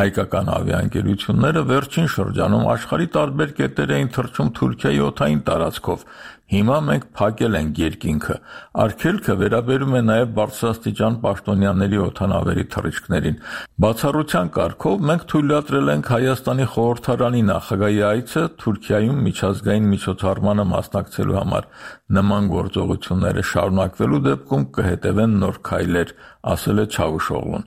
Հայկական ավիաընկերությունները վերջին շրջանում աշխարհի տարբեր կետեր էին թռչում Թուրքիայի օդային տարածքով։ Հիմա մենք փակել ենք երկինքը։ Արգելքը վերաբերում է նաև բարձրաստիճան պաշտոնյաների օդանավերի թռիչքներին։ Բացառության կարգով մենք թույլատրել ենք Հայաստանի խորհրդարանի նախագահի այցը Թուրքիայում միջազգային միջոցառմանը մասնակցելու համար։ Նման գործողությունները շարունակվելու դեպքում կհետևեն նոր քայլեր, ասել է Չավուշօղլուն։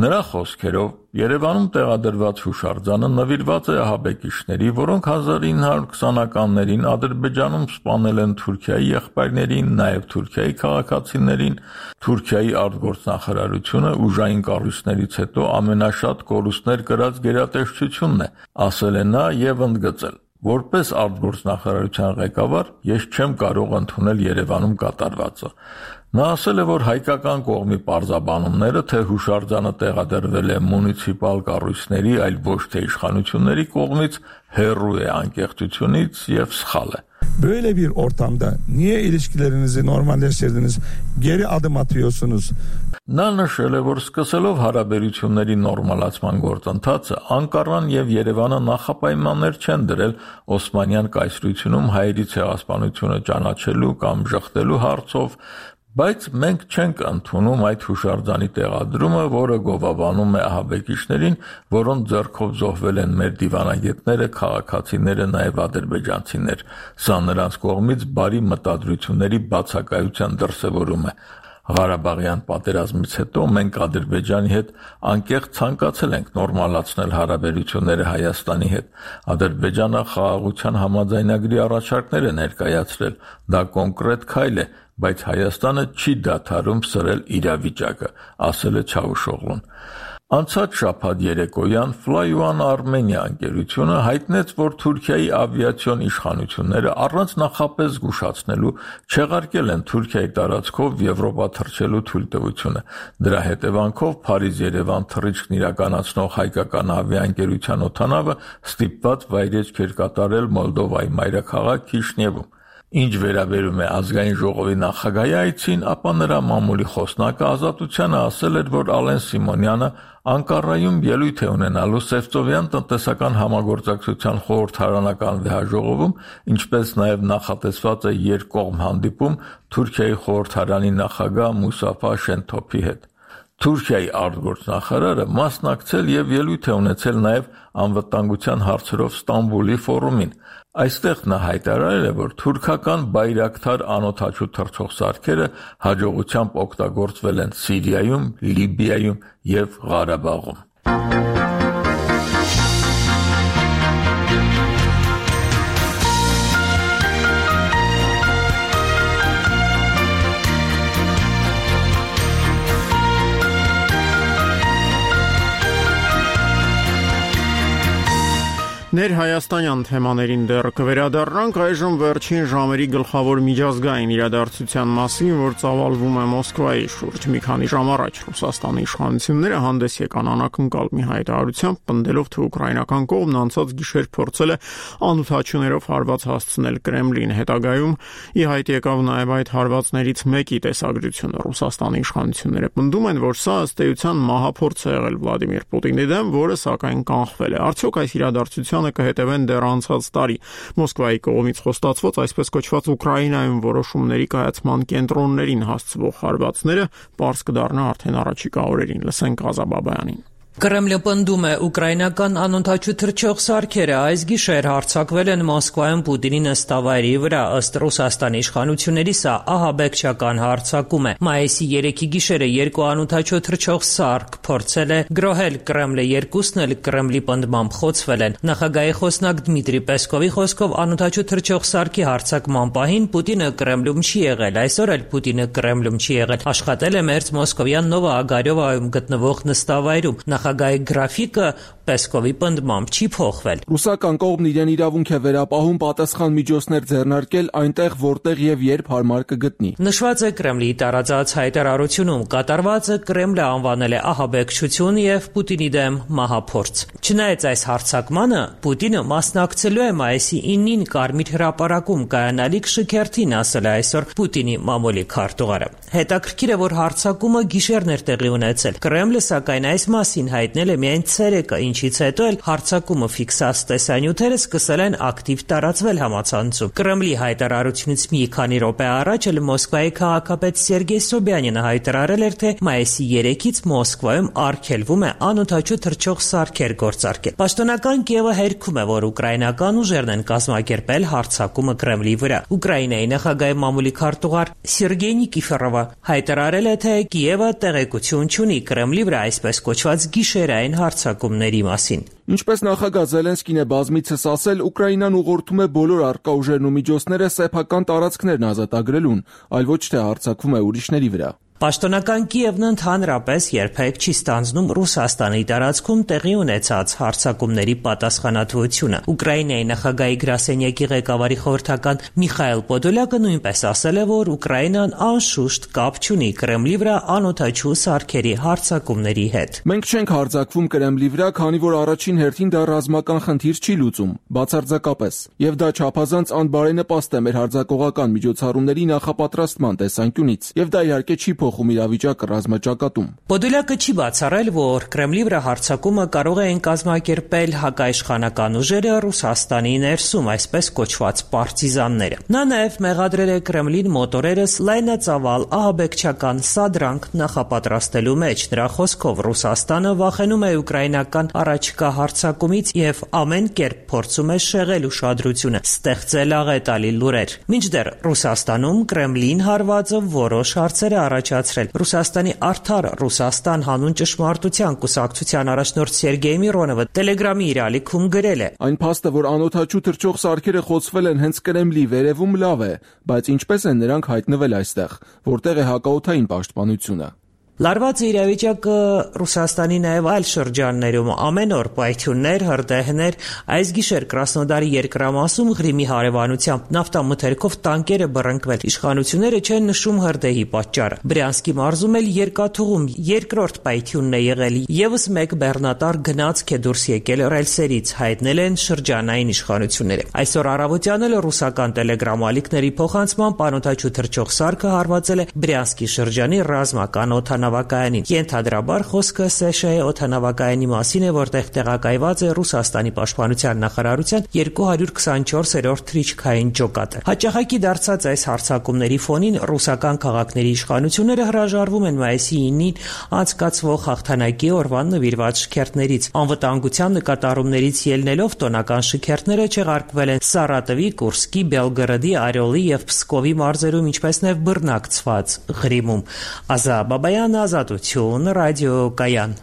Նրա խոսքերով Երևանում տեղադրված հուշարձանը նվիրված է ահաբեկիչների, որոնք հազար ինը հարյուր քսանականներին Ադրբեջանում սպանել են Թուրքիայի եղբայրներին, նաև Թուրքիայի քաղաքացիներին։ Թուրքիայի արտգործնախարարությունը ուժային կառույցներից հետո ամենաշատ կորուստներ կրած գերատեսչությունն է, ասել է նա եւ ընդգծել. Որպես արտգործնախարարության ղեկավար ես չեմ կարող ընդունել Երևանում կատարվածը։ Նա ասել է, որ հայկական կողմի պարզաբանումները, թե հուշարձանը տեղադրվել է մունիցիպալ կառույցների, այլ ոչ թե իշխանությունների կողմից, հեռու է անկեղծությունից եւ սխալ է։ Böyle bir ortamda niye ilişkilerinizi normalleştirdiniz? Geri adım atıyorsunuz. Նա նշել է, որ սկսելով հարաբերությունների նորմալացման գործընթացը Անկարան եւ Երևանը նախապայմաններ չեն դրել Օսմանյան կայսրությունում հայերի ցեղասպանությունը ճանաչելու կամ ժխտելու հարցով, բայց մենք չենք ընդունում այդ հուշարձանի տեղադրումը, որը գովաբանում է ահաբեկիչներին, որոնց ձեռքով զոհվել են մեր դիվանագետները, քաղաքացիները, նաև ադրբեջանցիներ։ Սա նրանց կողմից բարի մտադրությունների բացակայության դրսևորում է։ Ղարաբաղյան պատերազմից հետո մենք Ադրբեջանի հետ անկեղծ ցանկացել ենք նորմալացնել հարաբերությունները Հայաստանի հետ։ Ադրբեջանը խաղաղության համաձայնագրի առաջարկներ է ներկայացրել։ Դա կոնկրետ քայլ է, բայց Հայաստանը չի դադարում սրել իրավիճակը, ասել է Չավուշօղլուն։ Անցած շաբաթ երեկոյան Fly One Armenia ընկերությունը հայտնեց, որ Թուրքիայի ավիացիոն իշխանությունները առանց նախապես զգուշացնելու չեղարկել են Թուրքիայի տարածքով Եվրոպա թռչելու թույլտվությունը։ Դրա հետևանքով Փարիզ-Երևան թռիչքն իրականացնող հայկական ավիաընկերության օդանավը ստիպված վայրեջք էր կատարել Մոլդովայի մայրաքաղաք Քիշնևում։ Ինչ վերաբերում է ազգային ժողովի նախագահի այցին, ապա նրա մամուլի խոսնակը Ազատությանը ասել էր, որ Ալեն Սիմոնյանը Անկարայում ելույթ է ունենալու Սևծովյան տնտեսական համագործակցության խորհրդարանական վեհաժողովում, ինչպես նաև նախատեսված է երկկողմ հանդիպում Թուրքիայի խորհրդարանի նախագահ Մուսաֆա Շենթոփի հետ։ Թուրքիայի արտգործնախարարը մասնակցել եւ ելույթ է ունեցել նաև անվտանգության հարցերով Ստամբուլի ֆորումին։ Այստեղ նա հայտարարել է, որ թուրքական բայրակթար անօդաչու թռչող սարքերը հաջողությամբ օգտագործվել են Սիրիայում, Լիբիայում եւ Ղարաբաղում։ Ներհայաստանյան թեմաներին դեռ կվերադառնանք, այժմ վերջին ժամերի գլխավոր միջազգային իրադարձության մասին, որ ծավալվում է Մոսկվայի շուրջ։ Մի քանի ժամ առաջ Ռուսաստանի իշխանությունները հանդես եկան անակնկալ մի հայտարարությամբ, պնդելով, թե ուկրաինական կողմն անցած գիշեր փորձել է անօդաչուներով հարված հասցնել Կրեմլին։ Հետագայում ի հայտ եկավ նաև այդ հարվածներից մեկի տեսագրությունը։ Ռուսաստանի իշխանությունները պնդում են, որ սա ըստ էության մահափորձ է եղել Վլադիմիր Պուտինի դեմ, որը սակայն կանխվել է։ Արդյոք այս իրադարձության կհետևեն դեռ անցած տարի Մոսկվայի կողմից խոստացված այսպես կոչված Ուկրաինայում որոշումների կայացման կենտրոններին հասցվող հարվածները պարզ կդառնա արդեն առաջիկա օրերին։ Լսենք Ղազա Բաբայանին։ Կրեմլը պնդում է, ուկրաինական անօդաչու թռչող սարքերը այս գիշեր հարձակվել են Մոսկվայում Պուտինի նստավայրի վրա, ըստ Ռուսաստանի իշխանությունների սա ահաբեկչական հարձակում է։ Մայիսի երեքի գիշերը երկու անօդաչու թռչող սարք փորձել է գրոհել Կրեմլը, երկուսն էլ Կրեմլի պնդմամբ խոցվել են։ Նախագահի խոսնակ Դմիտրի Պեսկովի խոսքով անօդաչու թռչող սարքի հարձակման պահին Պուտինը Կրեմլում չի եղել, այսօր էլ Պուտինը Կրեմլում չի եղել, աշխատել է մերձ մոսկովյան Նովա Ագարյովայում գտնվող նստավայրում։ նախագահի գրաֆիկը Պեսկովի պնդմամբ չի փոխվել։ Ռուսական կողմն իրեն իրավունք է վերապահում պատասխան միջոցներ ձեռնարկել այնտեղ, որտեղ եւ երբ հարմար կգտնի։ Նշված է Կրեմլի տարածած հայտարարությունում, կատարվածը Կրեմլը անվանել է ահաբեկչություն եւ Պուտինի դեմ մահափորձ։ Չնայած այս հարձակմանը, Պուտինը մասնակցելու է մայիսի ինին Կարմիր հրապարակում կայանալիք շքերթին, ասել է այսօր Պուտինի մամուլի քարտուղարը։ Հետաքրքիր է, որ հարձակումը գիշերն էր տեղի ունեցել։ Կրեմլը սակայն այս մասին հայտնել է միայն ցերեկը, ինչից հետո էլ հարձակումը ֆիքսած տեսանյութերը սկսել են ակտիվ տարածվել համացանցում։ Կրեմլի հայտարարությունից մի քանի րոպե առաջ էլ Մոսկվայի քաղաքապետ Սերգեյ Սոբյանինը հայտարարել էր, թե մայիսի երեքից Մոսկվայում արգելվում է անօդաչու թռչող սարքեր գործարկել։ Պաշտոնական Կիևը հերքում է, որ ուկրաինական ուժերն են կազմակերպել հարձակումը Կրեմլի վրա։ Ուկրաինայի նախագահի մամուլի քարտուղար Սերգեյ Նիկիֆորովը հայտարարել է, թե Կիևը տեղեկություն չունի Կրեմլի վրա այսպես կոչված գիշերային հարձակումների մասին։ Ինչպես նախագահ Զելենսկին է բազմիցս ասել, Ուկրաինան ուղղորդում է բոլոր առկա ուժերն ու միջոցները սեփական տարածքներն ազատագրելուն, այլ ոչ թե հարձակվում է ուրիշների վրա։ Պաշտոնական Կիևն ընդհանրապես երբեք չի ստանձնում Ռուսաստանի տարածքում տեղի ունեցած հարձակումների պատասխանատվությունը։ Ուկրաինայի նախագահի գրասենյակի ղեկավարի խորհրդական Միխայել Պոդոլյակը նույնպես ասել է, որ Ուկրաինան անշուշտ կապ չունի Կրեմլի վրա անօդաչու սարքերի հարձակումների հետ։ Մենք չենք հարձակվում Կրեմլի վրա, քանի որ առաջին հերթին դա ռազմական խնդիր չի լուծում, բացարձակապես, եւ դա չափազանց անբարենպաստ է մեր հարձակողական միջոցառումների նախապատրաստման տեսանկյունից, եւ դա իհարկե չի փոխում իրավիճակը ռազմաճակատում։ Պոդոլյակը չի բացառել, որ Կրեմլի վրա հարձակումը կարող են կազմակերպել հակաիշխանական ուժերը Ռուսաստանի ներսում, այսպես կոչված պարտիզանները։ Նա նաև մեղադրել է Կրեմլին մոտորերս լայնածավալ ահաբեկչական սադրանք նախապատրաստելու մեջ։ Նրա խոսքով Ռուսաստանը վախենում է ուկրաինական առաջկա հարձակումից եւ ամեն կերպ փորձում է շեղել ուշադրությունը, ստեղծել աղետալի լուրեր։ Մինչդեռ Ռուսաստանում Կրեմլին հարվածը որոշ հարցեր է առաջացրել։ Ռուսաստանի Արդար Ռուսաստան հանուն ճշմարտության կուսակցության առաջնորդ Սերգեյ Միրոնովը Telegram-ի իր ալիքում գրել է. Այն փաստը, որ անօդաչու թռչող սարքերը խոցվել են հենց Կրեմլի վերևում, լավ է, բայց ինչպես են նրանք հայտնվել այստեղ, որտեղ է հակաօդային պաշտպանությունը։ Լարված իրավիճակը Ռուսաստանի նաև այլ շրջաններում ամեն օր պայթյուններ, հրդեհներ, այս գիշեր Կրասնոդարի երկրամասում Ղրիմի հարևանությամբ նավթամթերքով տանկեր է բռնկվել։ Իշխանությունները չեն նշում հրդեհի պատճառը։ Բրյանսկի մարզում էլ երկաթուղում երկրորդ պայթյունն է եղել։ Եվս մեկ բեռնատար գնացք է դուրս եկել ռելսերից, հայտնել են շրջանային իշխանությունները։ Այսօր առավոտյան էլ ռուսական Telegram ալիքների փոխանցման անօդաչու թռչող սարքը հարվածել է Բրյանսկի շրջանի ռազմական օդանավ օդանավակայանին։ Ենթադրաբար խոսքը Սեշեի օդանավակայանի մասին է, որտեղ տեղակայված է Ռուսաստանի պաշտպանության նախարարության երկու հարյուր քսանչորսերորդ թռիչքային ջոկատը։ Հաճախակի դարձած այս հարձակումների ֆոնին ռուսական քաղաքների իշխանությունները հրաժարվում են մայիսի ինին անցկացվող հաղթանակի օրվան նվիրված շքերթներից։ Անվտանգության նկատառումներից ելնելով տոնական շքերթները չեղարկվել են Սարատովի, Կուրսկի, Բելգորոդի, Արիոլի եւ Պսկովի մարզերում, ինչպես նաեւ բռնակցված Ղրիմում։ Ազա Բաբայան, Ազատություն, ռադիոկայան։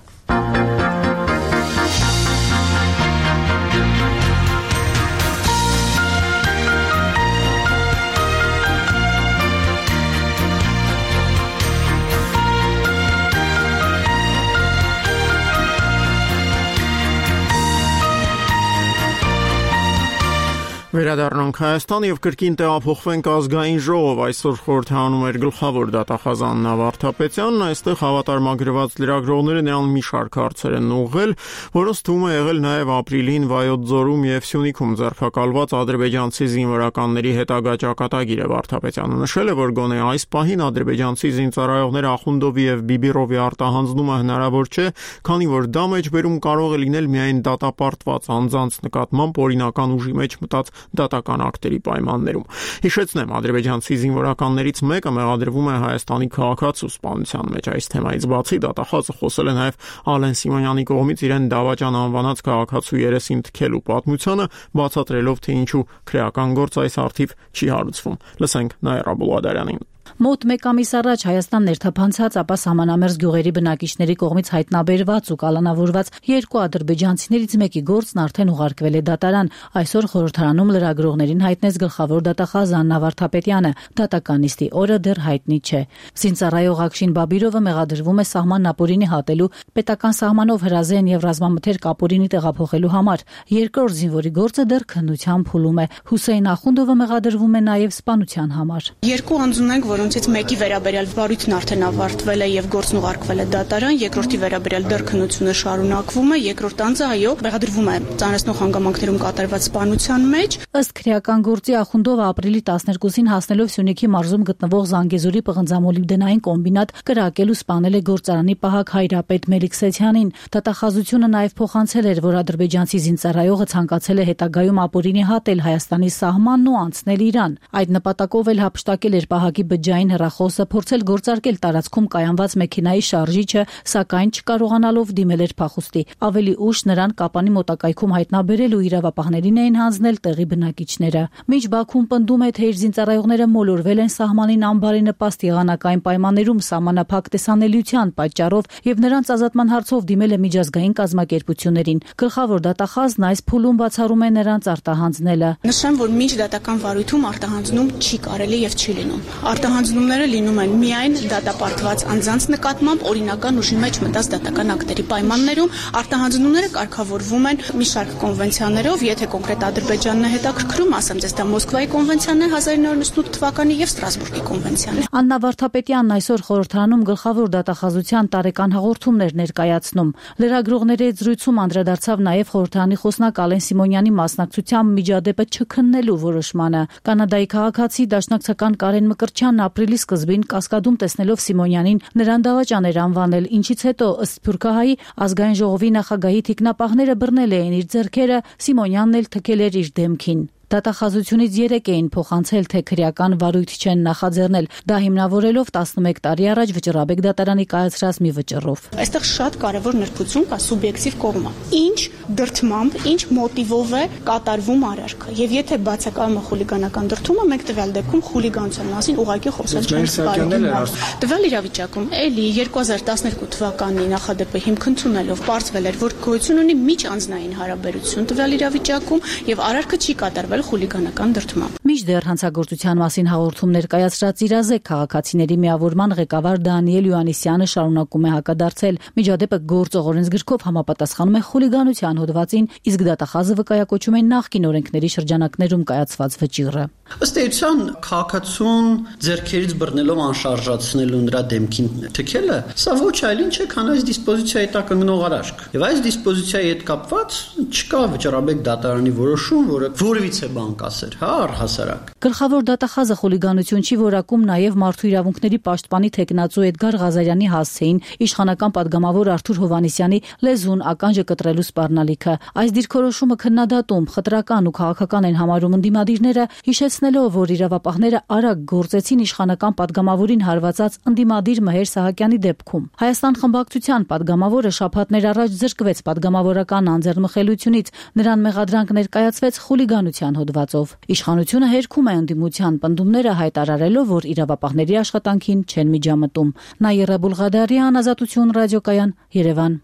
Վերադառնանք Հայաստան եւ կրկին տեղափոխվենք ազգային ժողով։ Այսօր խորհրդանում էր գլխավոր դատախազան Նավարդապետյանն, այստեղ հավատարմագրված լրագրողները նրան մի շարք հարցեր են ուղղել, որոնց թվում է եղել նաեւ ապրիլին Վայոց ձորում եւ Սյունիքում ձերբակալված ադրբեջանցի զինվորականների հետագա ճակատագիրը։ Վարդապետյանը նշել է, որ գոնե այս պահին ադրբեջանցի զինծառայողները Ախունդովի եւ Բիբիրովի արտահանձնումը հնարավոր չէ, քանի որ դա մեջբերում կարող է լինել միայն դատապարտված անձանց նկատմամբ օրինական ուժի մեջ մտած դատական ակտերի պայմաններում։ Հիշեցնեմ, ադրբեջանցի զինվորականներից մեկը մեղադրվում է Հայաստանի քաղաքացու սպանության մեջ։ Այս թեմայից բացի դատախազը խոսել է նաև Ալեն Սիմոնյանի կողմից իրեն դավաճան անվանած քաղաքացու երեսին թքելու պատմությանը, բացատրելով, թե ինչու քրեական գործ այս արդիվ չի հարուցվում։ Լսենք Նաիրա Բուլադարյանին։ Մոտ մեկ ամիս առաջ Հայաստան ներթափանցած, ապա սահմանամերձ գյուղերի բնակիչների կողմից հայտնաբերված ու կալանավորված երկու ադրբեջանցիներից մեկի գործն արդեն ուղարկվել է դատարան։ Այսօր խորհրդարանում լրագրողներին հայտնեց գլխավոր դատախազ Աննա Վարդապետյանը։ Դատականիստի օրը դեռ հայտնի չէ։ Զինծառայող Ակշին Բաբիրովը մեղադրվում է սահմանն ապօրինի հատելու, պետական սահմանով հրազեն եւ ռազմամթերք ապօրինի տեղափոխելու համար։ Երկրորդ զինվորի գործը դեռ քննության փուլում է։ Հուսեյն Ախունդովը մեղադրվում է նաեւ սպանության համար։ Երկու անձունենք, որոնցից մեկի վերաբերյալ վարույթն արդեն ավարտվել է եւ գործն ուղարկվել է դատարան, երկրորդի վերաբերյալ դեռ քննությունը շարունակվում է, երկրորդ անձը այո, մեղադրվում է ծանրացնող հանգամանքներում կատարված սպանության մեջ։ Ըստ քրեական գործի Ախունդովը ապրիլի տասներկուսին հասնելով Սյունիքի մարզում գտնվող Զանգեզուրի պղնձամոլիբդենային կոմբինատ կրակել ու սպանել է գործարանի պահակ Հայրապետ Մելիքսեթյանին։ Դատախազությունը նաեւ փոխանցել էր, որ ադրբեջանցի զինծառայողը ցանկացել է հետագայում ապօրինի հատել Հայաստանի սահմանն ու անցնել Իրան։ Այդ նպատակով էլ հափշտակել էր պահակի բջջային հեռախոսը, փորձել գործարկել տարածքում կայանված մեքենայի շարժիչը, սակայն չկարողանալով դիմել էր փախուստի։ Ավելի ուշ նրան Կապանի մոտակայքում հայտնաբերել ու իրավապահներին էին հանձնել տեղի բնակիչները։ Մինչ Բաքուն պնդում է, թե իր զինծառայողները մոլորվել են սահմանին անբարենպաստ եղանակային պայմաններում սահմանափակ տեսանելիության պատճառով եւ նրանց ազատման հարցով դիմել է միջազգային կազմակերպություններին։ Գլխավոր դատախազն այս փուլում բացառում է նրանց արտահանձնելը։ Նշեմ, որ միջ դատական վարույթում արտահանձնում չի կարելի եւ չի լինում։ Արտահանձնումները լինում են միայն դատապարտված անձանց նկատմամբ օրինական ուժի մեջ մտած դատական ակտերի պայմաններում։ Արտահանձնումները կարգավորվում են մի շարք կոնվենցիաներով, եթե կոնկրետ Ադրբեջանն է հետաքրքրում, ասեմ ձեզ, դա Մոսկվայի կոնվենցիան է հազար ինը յոթ նվաթ թվականի եւ Ստրասբուրգի կոնվենցիան։ Աննա Վարդապետյանն այսօր խորհրդարանում գլխավոր դատախազության տարեկան հաղորդումներ ներկայացնում։ Լրագրողների հետ զրույցում անդրադարձավ նաեւ խորհրդարանի խոսնակ Ալեն Սիմոնյանի մասնակցությամբ միջադեպը չքննելու որոշմանը։ Կանադայի քաղաքացի դաշնակցական Կարեն Մկրտչյանն ապրիլի սկզբին Կասկադում տեսնելով Սիմոնյանին նրան դավաճան էր անվանել, ինչից հետո ըստ Սփյուռքահայի ազգային ժողովի նախագահի թիկնապահները բռնել էին իր ձեռքերը, Սիմոնյանն էլ թքել էր իր դեմքին։ Դատախազությունից երեք էին փոխանցել, թե քրեական վարույթ չեն նախաձեռնել, դա հիմնավորելով տասնմեկ տարի առաջ Վճռաբեկ դատարանի կայացրած մի վճռով։ Այստեղ շատ կարևոր նրբություն կա սուբյեկտիվ կողմը։ Ինչ դրդմամբ, ինչ մոտիվով է կատարվում արարքը։ Եվ եթե բացակայում է խուլիգանական դրդումը, մենք տվյալ դեպքում խուլիգանության մասին ուղղակի խոսել չենք կարող։ Տվյալ իրավիճակում էլի երկու հազար տասներկու թվականի նախադեպը հիմք ընդունելով պարզվել էր, որ գոյություն ունի միջանձնային հարաբերություն տվյալ իրավիճակում եւ արարքը չի կատարվել խուլիգանական դրդմամբ։ Մինչդեռ հանցագործության մասին հաղորդում ներկայացրած իրազեկ քաղաքացիների միավորման ղեկավար Դանիել Յուանիսյանը շարունակում է հակադարձել։ Միջադեպը գործող օրենսգրքով համապատասխանում է խուլիգանության հոդվածին, իսկ դատախազը վկայակոչում է նախկին օրենքների շրջանակներում կայացված վճիռը։ Ըստ էության քաղաքացուն ձեռքերից բռնելով անշարժացնելու նրա դեմքին թքելը, սա ոչ այլ ինչ է, քան այս դիսպոզիցիայի տակ ընկնող արարք։ Եվ այս դիսպոզիցիայի հետ կապված չկա Վճռաբեկ դատարանի որոշում, որը որևիցե բան կասեր, հա, առհասարակ։ Գլխավոր դատախազը խուլիգանություն չի որակում նաև մարդու իրավունքների պաշտպանի թեկնածու Էդգար Ղազարյանի հասցեին իշխանական падգամավոր Արթուր Հովհաննիսյանի լեզուն ականջը կտրելու սպառնալիքը։ Այս դիրքորոշումը քննադատում, խտրական ու քաղաքական են համարում ընդդիմադիրները, հիշեցնելով, որ իրավապահները արագ գործեցին իշխանական падգամավորին հարվածած ընդդիմադիր Մհեր Սահակյանի դեպքում։ Հայաստան խմբակցության падգամավորը շաբաթներ առաջ զրկվեց падգամավորական անձեռնմխելությունից, նրան մեղադրանք ներկայացվեց խուլիգանության հոդվածով։ Իշխանությունը հերքում է ընդդիմության պնդումները, հայտարարելով, որ իրավապահների աշխատանքին չեն միջամտում։ Նաիրա Բուլղադարյան, Ազատություն ռադիոկայան, Երևան։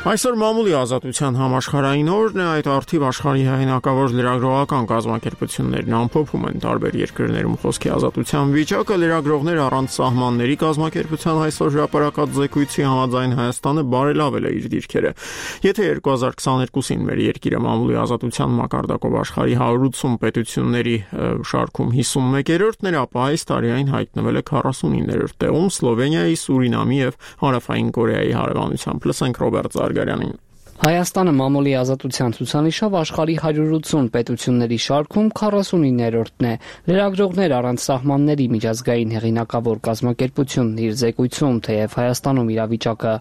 Այսօր մամուլի ազատության համաշխարհային օրն է, այդ արդիվ աշխարհի հեղինակավոր լրագրողական կազմակերպություններն ամփոփում են տարբեր երկրներում խոսքի ազատության վիճակը։ Լրագրողներ առանց սահմանների կազմակերպության այսօր հրապարակած զեկույցի համաձայն Հայաստանը բարելավել է իր դիրքերը։ Եթե երկու հազար քսաներկուսին մեր երկիրը մամուլի ազատության մակարդակով աշխարհի հարյուր ութսուն պետությունների շարքում հիսունմեկերորդն էր, ապա այս տարի այն հայտնվել է քառասունիններորդ տեղում Սլովենիայի, Սուրինամի եւ Հարավային Կորեայի հարևանությամբ։ Լսենք Ռոբերտ Զարգարյանին։ Հայաստանը մամուլի ազատության ցուցանիշով աշխարհի հարյուր ութսուն պետությունների շարքում քառասունիններորդն է։ Լրագրողներ առանց սահմանների միջազգային հեղինակավոր կազմակերպությունն իր զեկույցում, թեև Հայաստանում իրավիճակը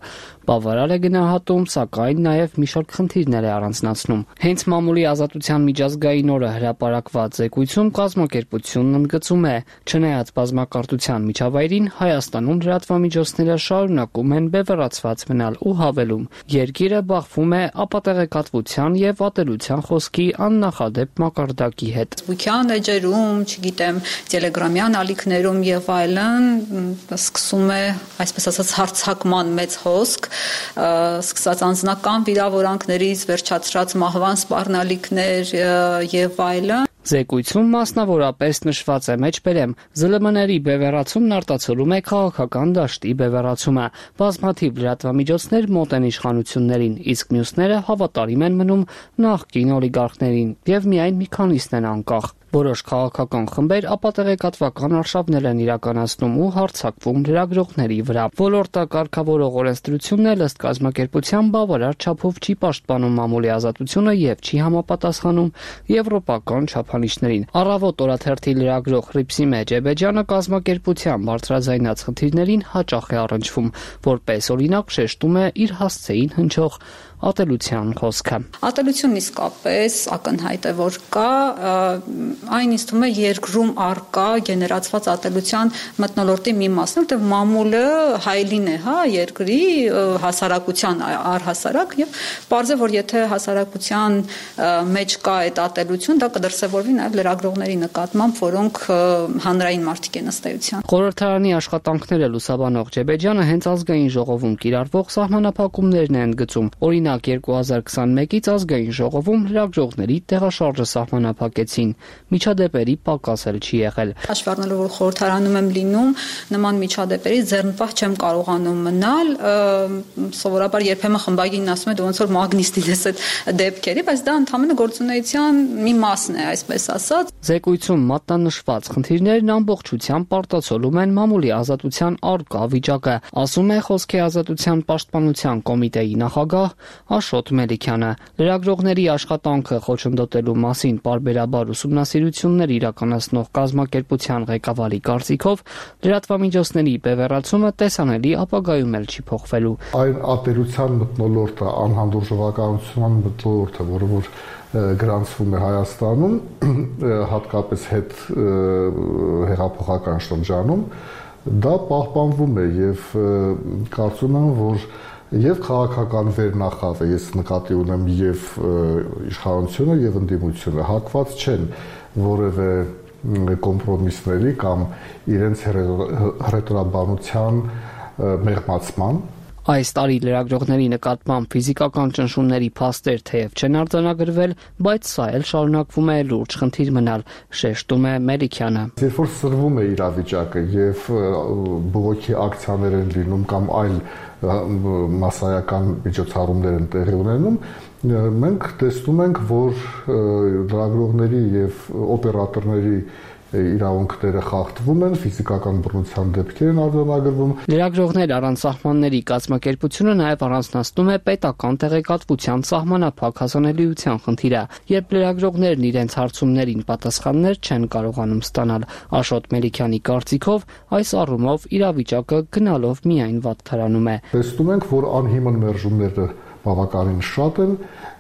բավարար է գնահատում, սակայն նաև մի շարք խնդիրներ է առանձնացնում։ Հենց մամուլի ազատության միջազգային օրը հրապարակված զեկույցում կազմակերպությունն ընդգծում է, չնայած բազմակարդության միջավայրին, Հայաստանում լրատվամիջոցները շարունակում են բևեռացված մնալ ու հավելում. երկիրը բախվում է ապատեղեկատվության եւ ատելության խոսքի աննախադեպ մակարդակի հետ։ Ֆեյսբուքյան էջերում, չգիտեմ, տելեգրամյան ալիքներում եւ այլն սկսում է, այսպես ասած, հարցակման մեծ հոսք, սկսած անձնական վիրավորանքներից վերջացրած մահվան սպառնալիքներ եւ այլն։ Զեկույցում մասնավորապես նշված է մեջբերեմ ԶԼՄ-ների բևեռացումն արտացոլում է քաղաքական դաշտի բևեռացումը։ Բազմաթիվ լրատվամիջոցներ մոտ են իշխանություններին, իսկ մյուսները հավատարիմ են մնում նախկին օլիգարխներին եւ միայն մի քանիսն են անկախ։ Որոշ քաղաքական խմբեր ապատեղեկատվական արշավներ են իրականացնում ու հարձակվում լրագրողների վրա։ Ոլորտը կարգավորող օրենսդրությունն էլ ըստ կազմակերպության բավարար չափով չի պաշտպանում մամուլի ազատությունը եւ չի համապատասխանում եվրոպական չափանիշներին։ Առավոտ օրաթերթի լրագրող Ռիփսիմե Ջեբեջյանը կազմակերպության բարձրաձայնած խնդիրներին հաճախ է առնչվում, որպես օրինակ շեշտում է իր հասցեին հնչող ատելության խոսքը։ Ատելությունն իսկապես ակնհայտ է, որ կա, այն ինձ թվում է երկրում առկա գեներացված ատելության մթնոլորտի մի մասն, որտեղ մամուլը հայելին է, հա, երկրի հասարակության առհասարակ եւ պարզ է, որ եթե հասարակության մեջ կա այդ ատելություն, դա կդրսևորվի նաեւ լրագրողների նկատմամբ, որոնք հանրային մարդիկ են ըստ էության։ Խորհրդարանի աշխատանքները լուսաբանող Ջեբեջյանը հենց ազգային ժողովում կիրառվող սահմանափակումներն են ընդգծում։ Օրինակ երկու հազար քսանմեկից ազգային ժողովում լրագրողների տեղաշարժը սահմանափակեցին։ Միջադեպերի պակաս էլ չի եղել։ Հաշվի առնելով, որ խորհրդարանում եմ լինում, նման միջադեպերի ձեռնպահ չեմ կարողանում մնալ, սովորաբար երբեմն խմբագիրն ասում է դու ոնց որ մագնիստ ես այդ դեպքերի, բայց դա ընդհանրապես գործունեության մի մասն է, այսպես ասած։ Զեկույցում մատնանշված խնդիրներն ամբողջությամբ արտացոլում են մամուլի ազատության առկա վիճակը, ասում է Խոսքի ազատության պաշտպանության կոմիտեի նախագահ Աշոտ Մելիքյանը։ Լրագրողների աշխատանքը խոչընդոտելու մասին պարբերաբար ուսումնասիրություններ իրականացնող կազմակերպության ղեկավարի կարծիքով լրատվամիջոցների բևեռացումը տեսանելի ապագայում էլ չի փոխվելու։ Այն ատելության մթնոլորտը, անհանդուրժողականության մթնոլորտը, որը որ գրանցվում է Հայաստանում, հատկապես հետ հեղափոխական շրջանում, դա պահպանվում է եւ կարծում եմ, որ եւ քաղաքական վերնախավը, ես նկատի ունեմ եւ իշխանությունը եւ ընդդիմությունը հակված չեն որևէ կոմպրոմիսների կամ իրենց հռետորաբանության մեղմացման։ Այս տարի լրագրողների նկատմամբ ֆիզիկական ճնշումների փաստեր թեև չեն արձանագրվել, բայց սա էլ շարունակվում է լուրջ խնդիր մնալ, շեշտում է Մելիքյանը։ Երբ որ սրվում է իրավիճակը եւ բողոքի ակցիաներ են լինում կամ այլ մասսայական միջոցառումներ են տեղի ունենում, մենք տեսնում ենք, որ լրագրողների եւ օպերատորների իրավունքները խախտվում են, ֆիզիկական բռնության դեպքեր են արձանագրվում։ Լրագրողներ առանց սահմանների կազմակերպությունը նաև առանձնացնում է պետական տեղեկատվության սահմանափակ հասանելիության խնդիրը, երբ լրագրողներն իրենց հարցումներին պատասխաններ չեն կարողանում ստանալ։ Աշոտ Մելիքյանի կարծիքով այս առումով իրավիճակը գնալով միայն վատթարանում է։ Տեսնում ենք, որ անհիմն մերժումները բավականին շատ են,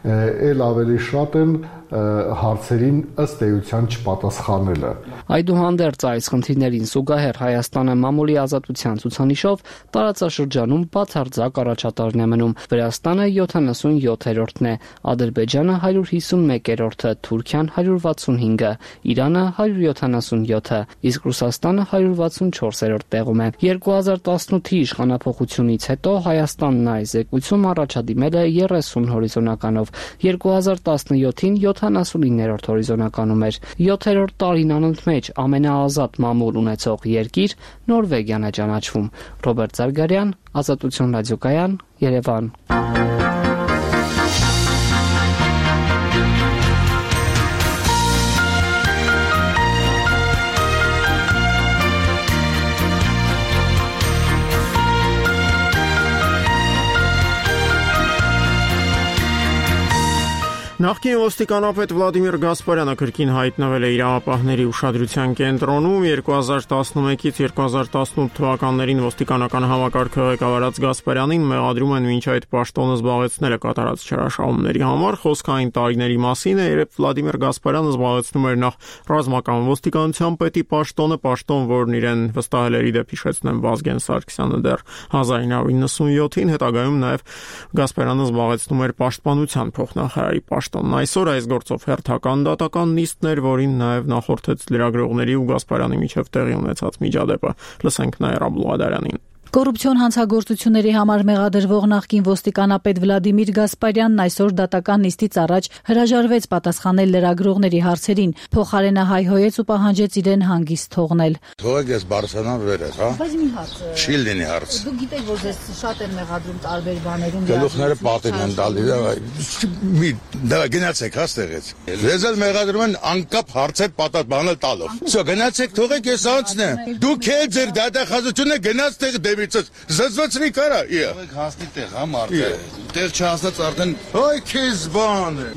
ել ավելի շատ են հարցերին ըստ էության չպատասխանելը։ Այդուհանդերձ այս խնդիրներին զուգահեռ Հայաստանը մամուլի ազատության ցուցանիշով տարածաշրջանում բացարձակ առաջատարն է մնում։ Վրաստանը յոթանասունյոթերորդն է, Ադրբեջանը հարյուր հիսունմեկերորդը, Թուրքիան հարյուր վաթսունհինգը, Իրանը հարյուր յոթանասունյոթը, իսկ Ռուսաստանը հարյուր վաթսունչորսերորդ տեղում է։ երկու հազար տասնութի իշխանափոխությունից հետո Հայաստանն այս զեկույցում առաջադիմել է երեսուն հորիզոնականով, երկու հազար տասնյոթին յոթանասունիններորդ հորիզոնականում էր։ յոթերորդ տարին անընդմեջ ամենաազատ մամուլ ունեցող երկիր Նորվեգիան է ճանաչվում։ Ռոբերտ Զարգարյան, Ազատություն ռադիոկայան, Երևան։ Նախկին ոստիկանապետ Վլադիմիր Գասպարյանը կրկին հայտնվել է իրավապահների ուշադրության կենտրոնում երկու հազար տասնմեկից երկու հազար տասնութ թվականներին ոստիկանական համակարգը ղեկավարած Գասպարյանին մեղադրում են մինչ այդ պաշտոնը զբաղեցնելը կատարած չարաշահումների համար։ Խոսքային տարիների մասին է, երբ Վլադիմիր Գասպարյանը զբաղեցնում էր նախ ռազմական ոստիկանության պետի պաշտոնը, պաշտոն, որն իրեն վստահել էր իդեպ հիշեցնեմ Վազգեն Սարգսյանը դեռ հազար իննսուն նվաթ, հետագայում նաև Գասպարյանը զբաղեցնում էր պաշտպանության փոխնախարարի պաշտոնն։ Այսօր այս գործով հերթական դատական նիստներ, որին նաև նախորդեց լրագրողների ու Գասպարյանի միջև տեղի ունեցած միջադեպը։ Լսենք Նաիրա Բուլղադարյանին։ Կոռուպցիոն հանցագործությունների համար մեղադրվող նախկին ոստիկանապետ Վլադիմիր Գասպարյանն այսօր դատական նիստից առաջ հրաժարվեց պատասխանել լրագրողների հարցերին, փոխարենը հայհոյեց ու պահանջեց իրեն հանգիստ թողնել։ Թողեք ես բարձրանամ վերև, հա։ Բայց մի հարց։ Չի լինի հարց։ Դուք գիտեք, որ ձեզ շատ են մեղադրում տարբեր բաներում։ Գլուխները պատին են տալի, մի դա գնացեք հա ստեղից։ Ձեզ էլ մեղադրում են անկապ հարցեր պատասխանել տալով։ Всё, գնացեք, թողեք ես անցնեմ։ Դուք էլ ձեր դատախազությունը գնաց տեղ Զզվացրի կարա, Եք հասնի տեղ, հա մարդը, տեղ չհասնած արդեն, այ քեզ բան է,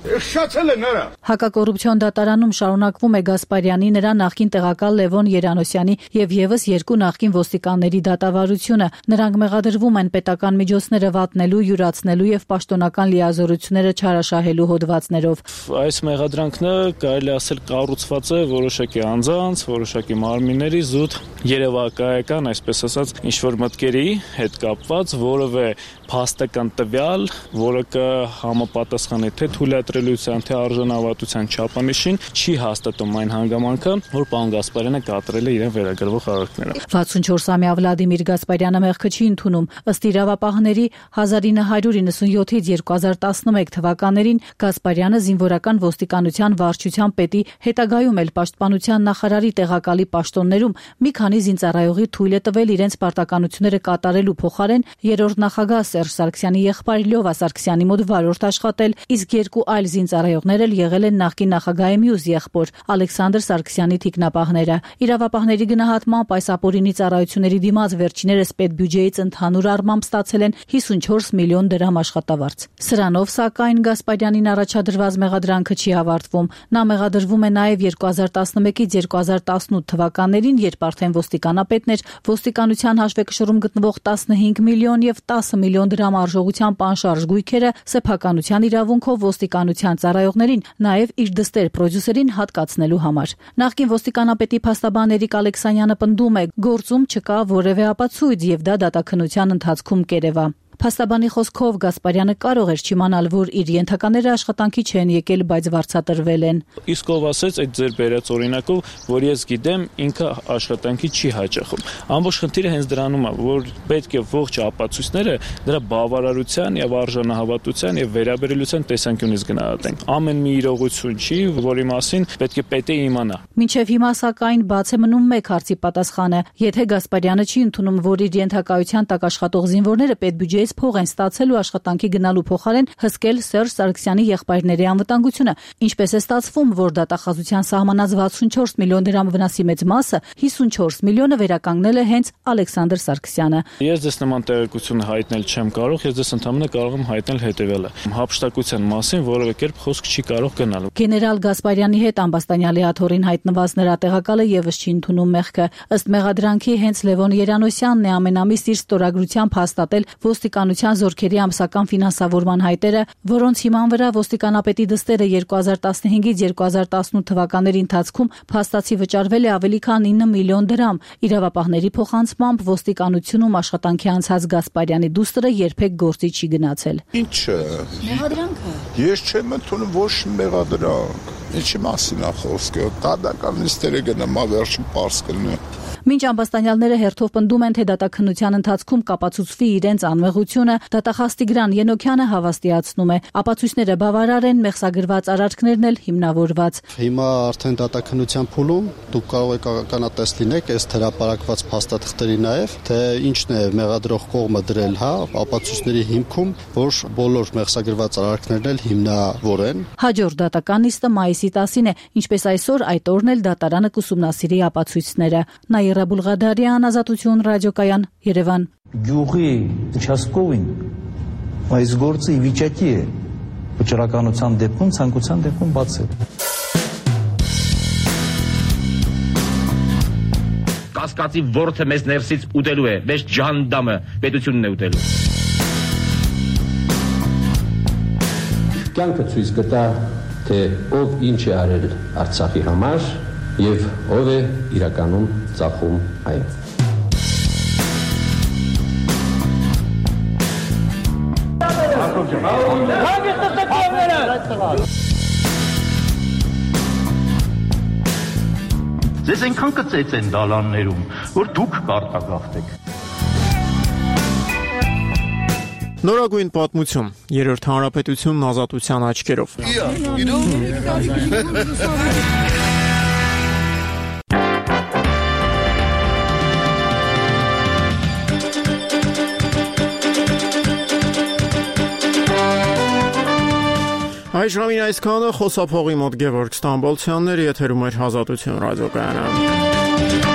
շացել է նրա։ Հակակոռուպցիոն դատարանում շարունակվում է Գասպարյանի, նրա նախկին տեղակալ Լևոն Երանոսյանի եւ եւս երկու նախկին ոստիկանների դատավարությունը։ Նրանք մեղադրվում են պետական միջոցները վատնելու, յուրացնելու եւ պաշտոնական լիազորությունները չարաշահելու հոդվածներով։ Այս մեղադրանքները կարելի ասել կառուցված է որոշակի անձանց, որոշակի մարմինների զուտ երևակայական, այսպես ասած, ինչ-որ մտքերի հետ կապված, որևէ փաստական տվյալ, որը կհամապատասխանի թե թույլատրելիության, թե արժանավատության չափանիշին, չի հաստատում այն հանգամանքը, որ պարոն Գասպարյանը կատարել է իրեն վերագրվող արարքները։ վաթսունչորսամյա Վլադիմիր Գասպարյանը մեղքը չի ընդունում։ Ըստ իրավապահների հազար ինը հարյուր իննսունյոթից երկու հազար տասնմեկ թվականներին Գասպարյանը զինվորական ոստիկանության վարչության պետի, հետագայում էլ պաշտպանության նախարարի տեղակալի պաշտոններում մի քանի զինծառայողի թույլ է տվել իրենց պարտականությունները կատարելու փոխարեն երրորդ նախագահ Սերժ Սարգսյանի եղբայր Լյովա Սարգսյանի մոտ վարորդ աշխատել, իսկ երկու այլ զինծառայողներ էլ եղել են նախկին նախագահի մյուս եղբոր Ալեքսանդր Սարգսյանի թիկնապահները։ Իրավապահների գնահատմամբ այս ապօրինի ծառայությունների դիմաց վերջիներս պետբյուջեից ընդհանուր առմամբ ստացել են հիսունչորս միլիոն դրամ աշխատավարձ։ Սրանով, սակայն, Գասպարյանին առաջադրված մեղադրանքը չի ավարտվում։ Նա մեղադրվում է նաև երկու հազար տասնմեկից երկու հազար տասնութ թվականներին, երբ արդեն ոստիկանապետն էր, ոստիկանության հաշվեկշռում գտնվող տասնհինգ միլիոն եւ տասը միլիոն դրամ արժողությամբ անշարժ գույքերը սեփականության իրավունքով ոստիկանության ծառայողներին, նաև իր դստեր պրոդյուսերին հատկացնելու համար։ Նախկին ոստիկանապետի փաստաբան Էրիկ Ալեքսանյանը պնդում է, գործում չկա որևէ ապացույց եւ դա դատաքննության ընթացքում կերևա։ Փաստաբանի խոսքով Գասպարյանը կարող էր չիմանալ, որ իր ենթակաները աշխատանքի չեն եկել, բայց վարձատրվել են։ Իսկ ով ասեց այդ ձեր բերած օրինակով, որ ես գիտեմ, ինքը աշխատանքի չի հաճախում։ Ամբողջ խնդիրը հենց դրանում է, որ պետք է ողջ ապացույցները դրա բավարարության եւ արժանահավատության եւ վերաբերելիության տեսանկյունից գնահատենք։ Ամեն մի իրողություն չի, որի մասին պետք է պետը իմանա։ Մինչև հիմա սակայն բաց է մնում մեկ հարցի պատասխանը։ Եթե Գասպարյանը չի ընդունում, որ իր ենթակայության տակ աշխատող զինվորները պետբյուջեից փող են ստացել ու աշխատանքի գնալու փոխարեն հսկել Սերժ Սարգսյանի եղբայրների անվտանգությունը, ինչպես է ստացվում, որ դատախազության սահմանած վաթսունչորս միլիոն դրամ վնասի մեծ մասը, հիսունչորս միլիոնը վերականգնել է հենց Ալեքսանդր Սարգսյանը։ Ես դες նման տեղեկություն հայտնել չեմ կարող, ես դες ընդհանրապես կարող եմ հայտնել հետևյալը. հափշտակության մասին որևէ կերպ խոսք չի կարող գնալ։ Գեներալ Գասպարյանի հետ ամբաստանյալի աթոռին հայտնված նրա տեղակալը եւս չի ընդունում մեղքը։ Ըստ մեղադրանքի հենց Լևոն Երանոսյանն է ամենամիս իր ստորագրությամբ հաստատել ոստիկանության զորքերի ամսական ֆինանսավորման հայտերը, որոնց հիման վրա ոստիկանապետի դստերը երկու հազար տասնհինգից երկու հազար տասնութ թվականների ընթացքում փաստացի վճարվել է ավելի քան ինը միլիոն դրամ։ Իրավապահների փոխանցմամբ ոստիկանությունում աշխատանքի անցած Գասպարյանի դուստրը երբեք գործի չի գնացել։ Ինչը։ Մեղադրանքը։ Ես չեմ ընդունում ոչ մեղադրանք։ Ինչի մասին է խոսքը։ Դատական նիստերը գնամ, վերջին պարզ կլինի։ Մինչ ամբաստանյալները հերթով պնդում են, թե դատաքննության ընթացքում կապացուցվի իրենց անմեղությունը, դատախազ Տիգրան Ենոքյանը հավաստիացնում է, ապացույցները բավարար են, մեղսագրված արարքներն էլ հիմնավորված։ Հիմա արդեն դատաքննության փուլում դուք կարող եք ականատես լինեք այս հրապարակված փաստաթղթերի նաև, թե ինչն է մեղադրող կողմը դրել, հա, ապացույցների հիմքում, որ բոլոր մեղսագրված արարքներն էլ հիմնավոր են։ Հաջորդ դատական նիստը մայիսի տասին է, ինչպես այսօր այդ օրն էլ դատարանը կուսումնասիրի ապացույցները։ Նաիրա Բուլղադարյան, Ազատություն ռադիոկայան, Երևան։ Գյուղի участковին այս գործը ի վիճակի է վճռականության դեպքում, ցանկության դեպքում բացել։ Կասկածի որդը մեզ ներսից ուտելու է, մեզ ջանդամը պետությունն է ուտելու։ Կյանքը ցույց կտա, թե ով ինչ է արել Արցախի համար եւ ով է իրականում ծախում այն։ Ձեզ այնքան կծեց են դալաններում, որ դուք կարտագաղթեք։ Նորագույն պատմություն, երրորդ հանրապետությունն ազատության աչքերով։ Այս ժամին այսքանը, խոսափողի մոտ Գևորգ Ստամբոլցյաններ, եթերում էր Ազատություն ռադիոկայանը։